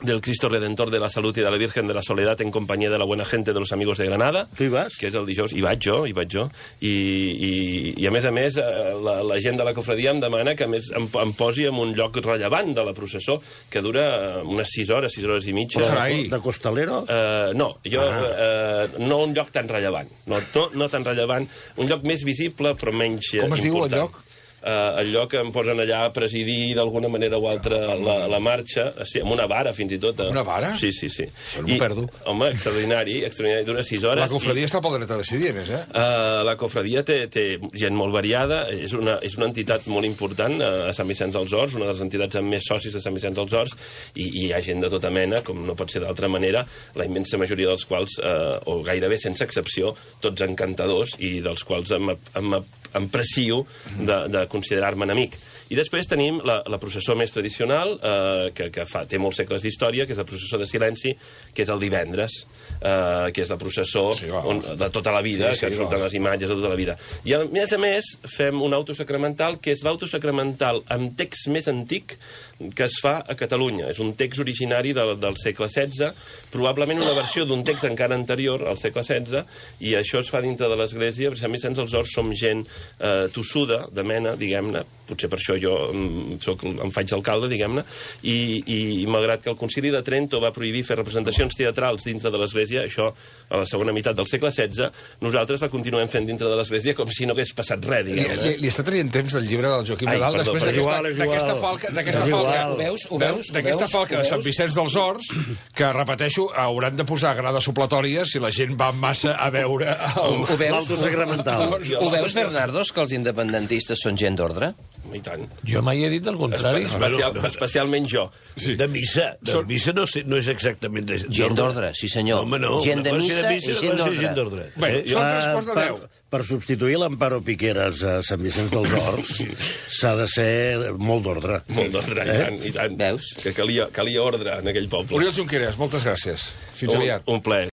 del Cristo Redentor de la Salud y de la Virgen de la Soledad en compañía de la buena gente de los amigos de Granada. Tu hi vas? Que és el dijous. Hi vaig jo, hi vaig jo. I, i, i a més a més, la, la gent de la cofradia em demana que a més em, em posi en un lloc rellevant de la processó, que dura unes sis hores, sis hores i mitja. Oh, carai. De Costalero? Uh, no, jo, ah. uh, no un lloc tan rellevant. No, no, no tan rellevant. Un lloc més visible, però menys important. Com es diu el lloc? Uh, el lloc que em posen allà a presidir d'alguna manera o altra la, la marxa, sí, amb una vara fins i tot. Eh? Una vara? Sí, sí, sí. Això no m'ho perdo. Home, extraordinari, extraordinari, dura sis hores. La cofradia i... està pel dret a decidir, més, eh? Uh, la cofradia té, té gent molt variada, és una, és una entitat molt important uh, a Sant Vicenç dels Horts, una de les entitats amb més socis de Sant Vicenç dels Horts, i, i hi ha gent de tota mena, com no pot ser d'altra manera, la immensa majoria dels quals, uh, o gairebé sense excepció, tots encantadors, i dels quals em, em, em precio de, de considerar-me amic. I després tenim la, la processó més tradicional, eh, que, que fa, té molts segles d'història, que és la processó de silenci, que és el divendres, eh, que és la processó sí, va, on, de tota la vida, sí, sí, que surten va. les imatges de tota la vida. I a més a més fem un autosacramental, que és l'autosacramental amb text més antic que es fa a Catalunya. És un text originari del, del segle setze, probablement una versió d'un text encara anterior, al segle setze, i això es fa dintre de l'església, perquè a Sant Vicenç dels Horts som gent eh, tossuda, de mena, diguem-ne, potser per això jo soc, em faig alcalde, diguem-ne, i, i, i malgrat que el Concili de Trento va prohibir fer representacions teatrals dintre de l'Església, això a la segona meitat del segle setze, nosaltres la continuem fent dintre de l'Església com si no hagués passat res, diguem-ne. Li, li, li està traient temps del llibre del Joaquim Ai, Nadal perdó, després perdó. d'aquesta falca, d'aquesta falca, Ho veus? Ho veus? d'aquesta falca de Sant Vicenç dels Horts, que, repeteixo, hauran de posar grades supletòries si la gent va massa a veure el... Ho veus? L'autosacramental. Ho veus, Bernardos, que els independentistes són gent d'ordre? I tant. Jo mai he dit el contrari. Especial, especialment jo. Sí. De missa. De Són- missa no, sé, no és exactament de, Gent d'ordre, sí senyor. Home, no. Gent de Una cosa missa i gent una cosa d'ordre. Bé, són tres quarts de per, deu. per substituir l'Amparo Piqueras a Sant Vicenç dels Horts s'ha de ser molt d'ordre. Molt d'ordre, i tant, i tant. Veus? Que calia, calia ordre en aquell poble. Oriol Junqueras, moltes gràcies. Fins un, aviat. un plaer.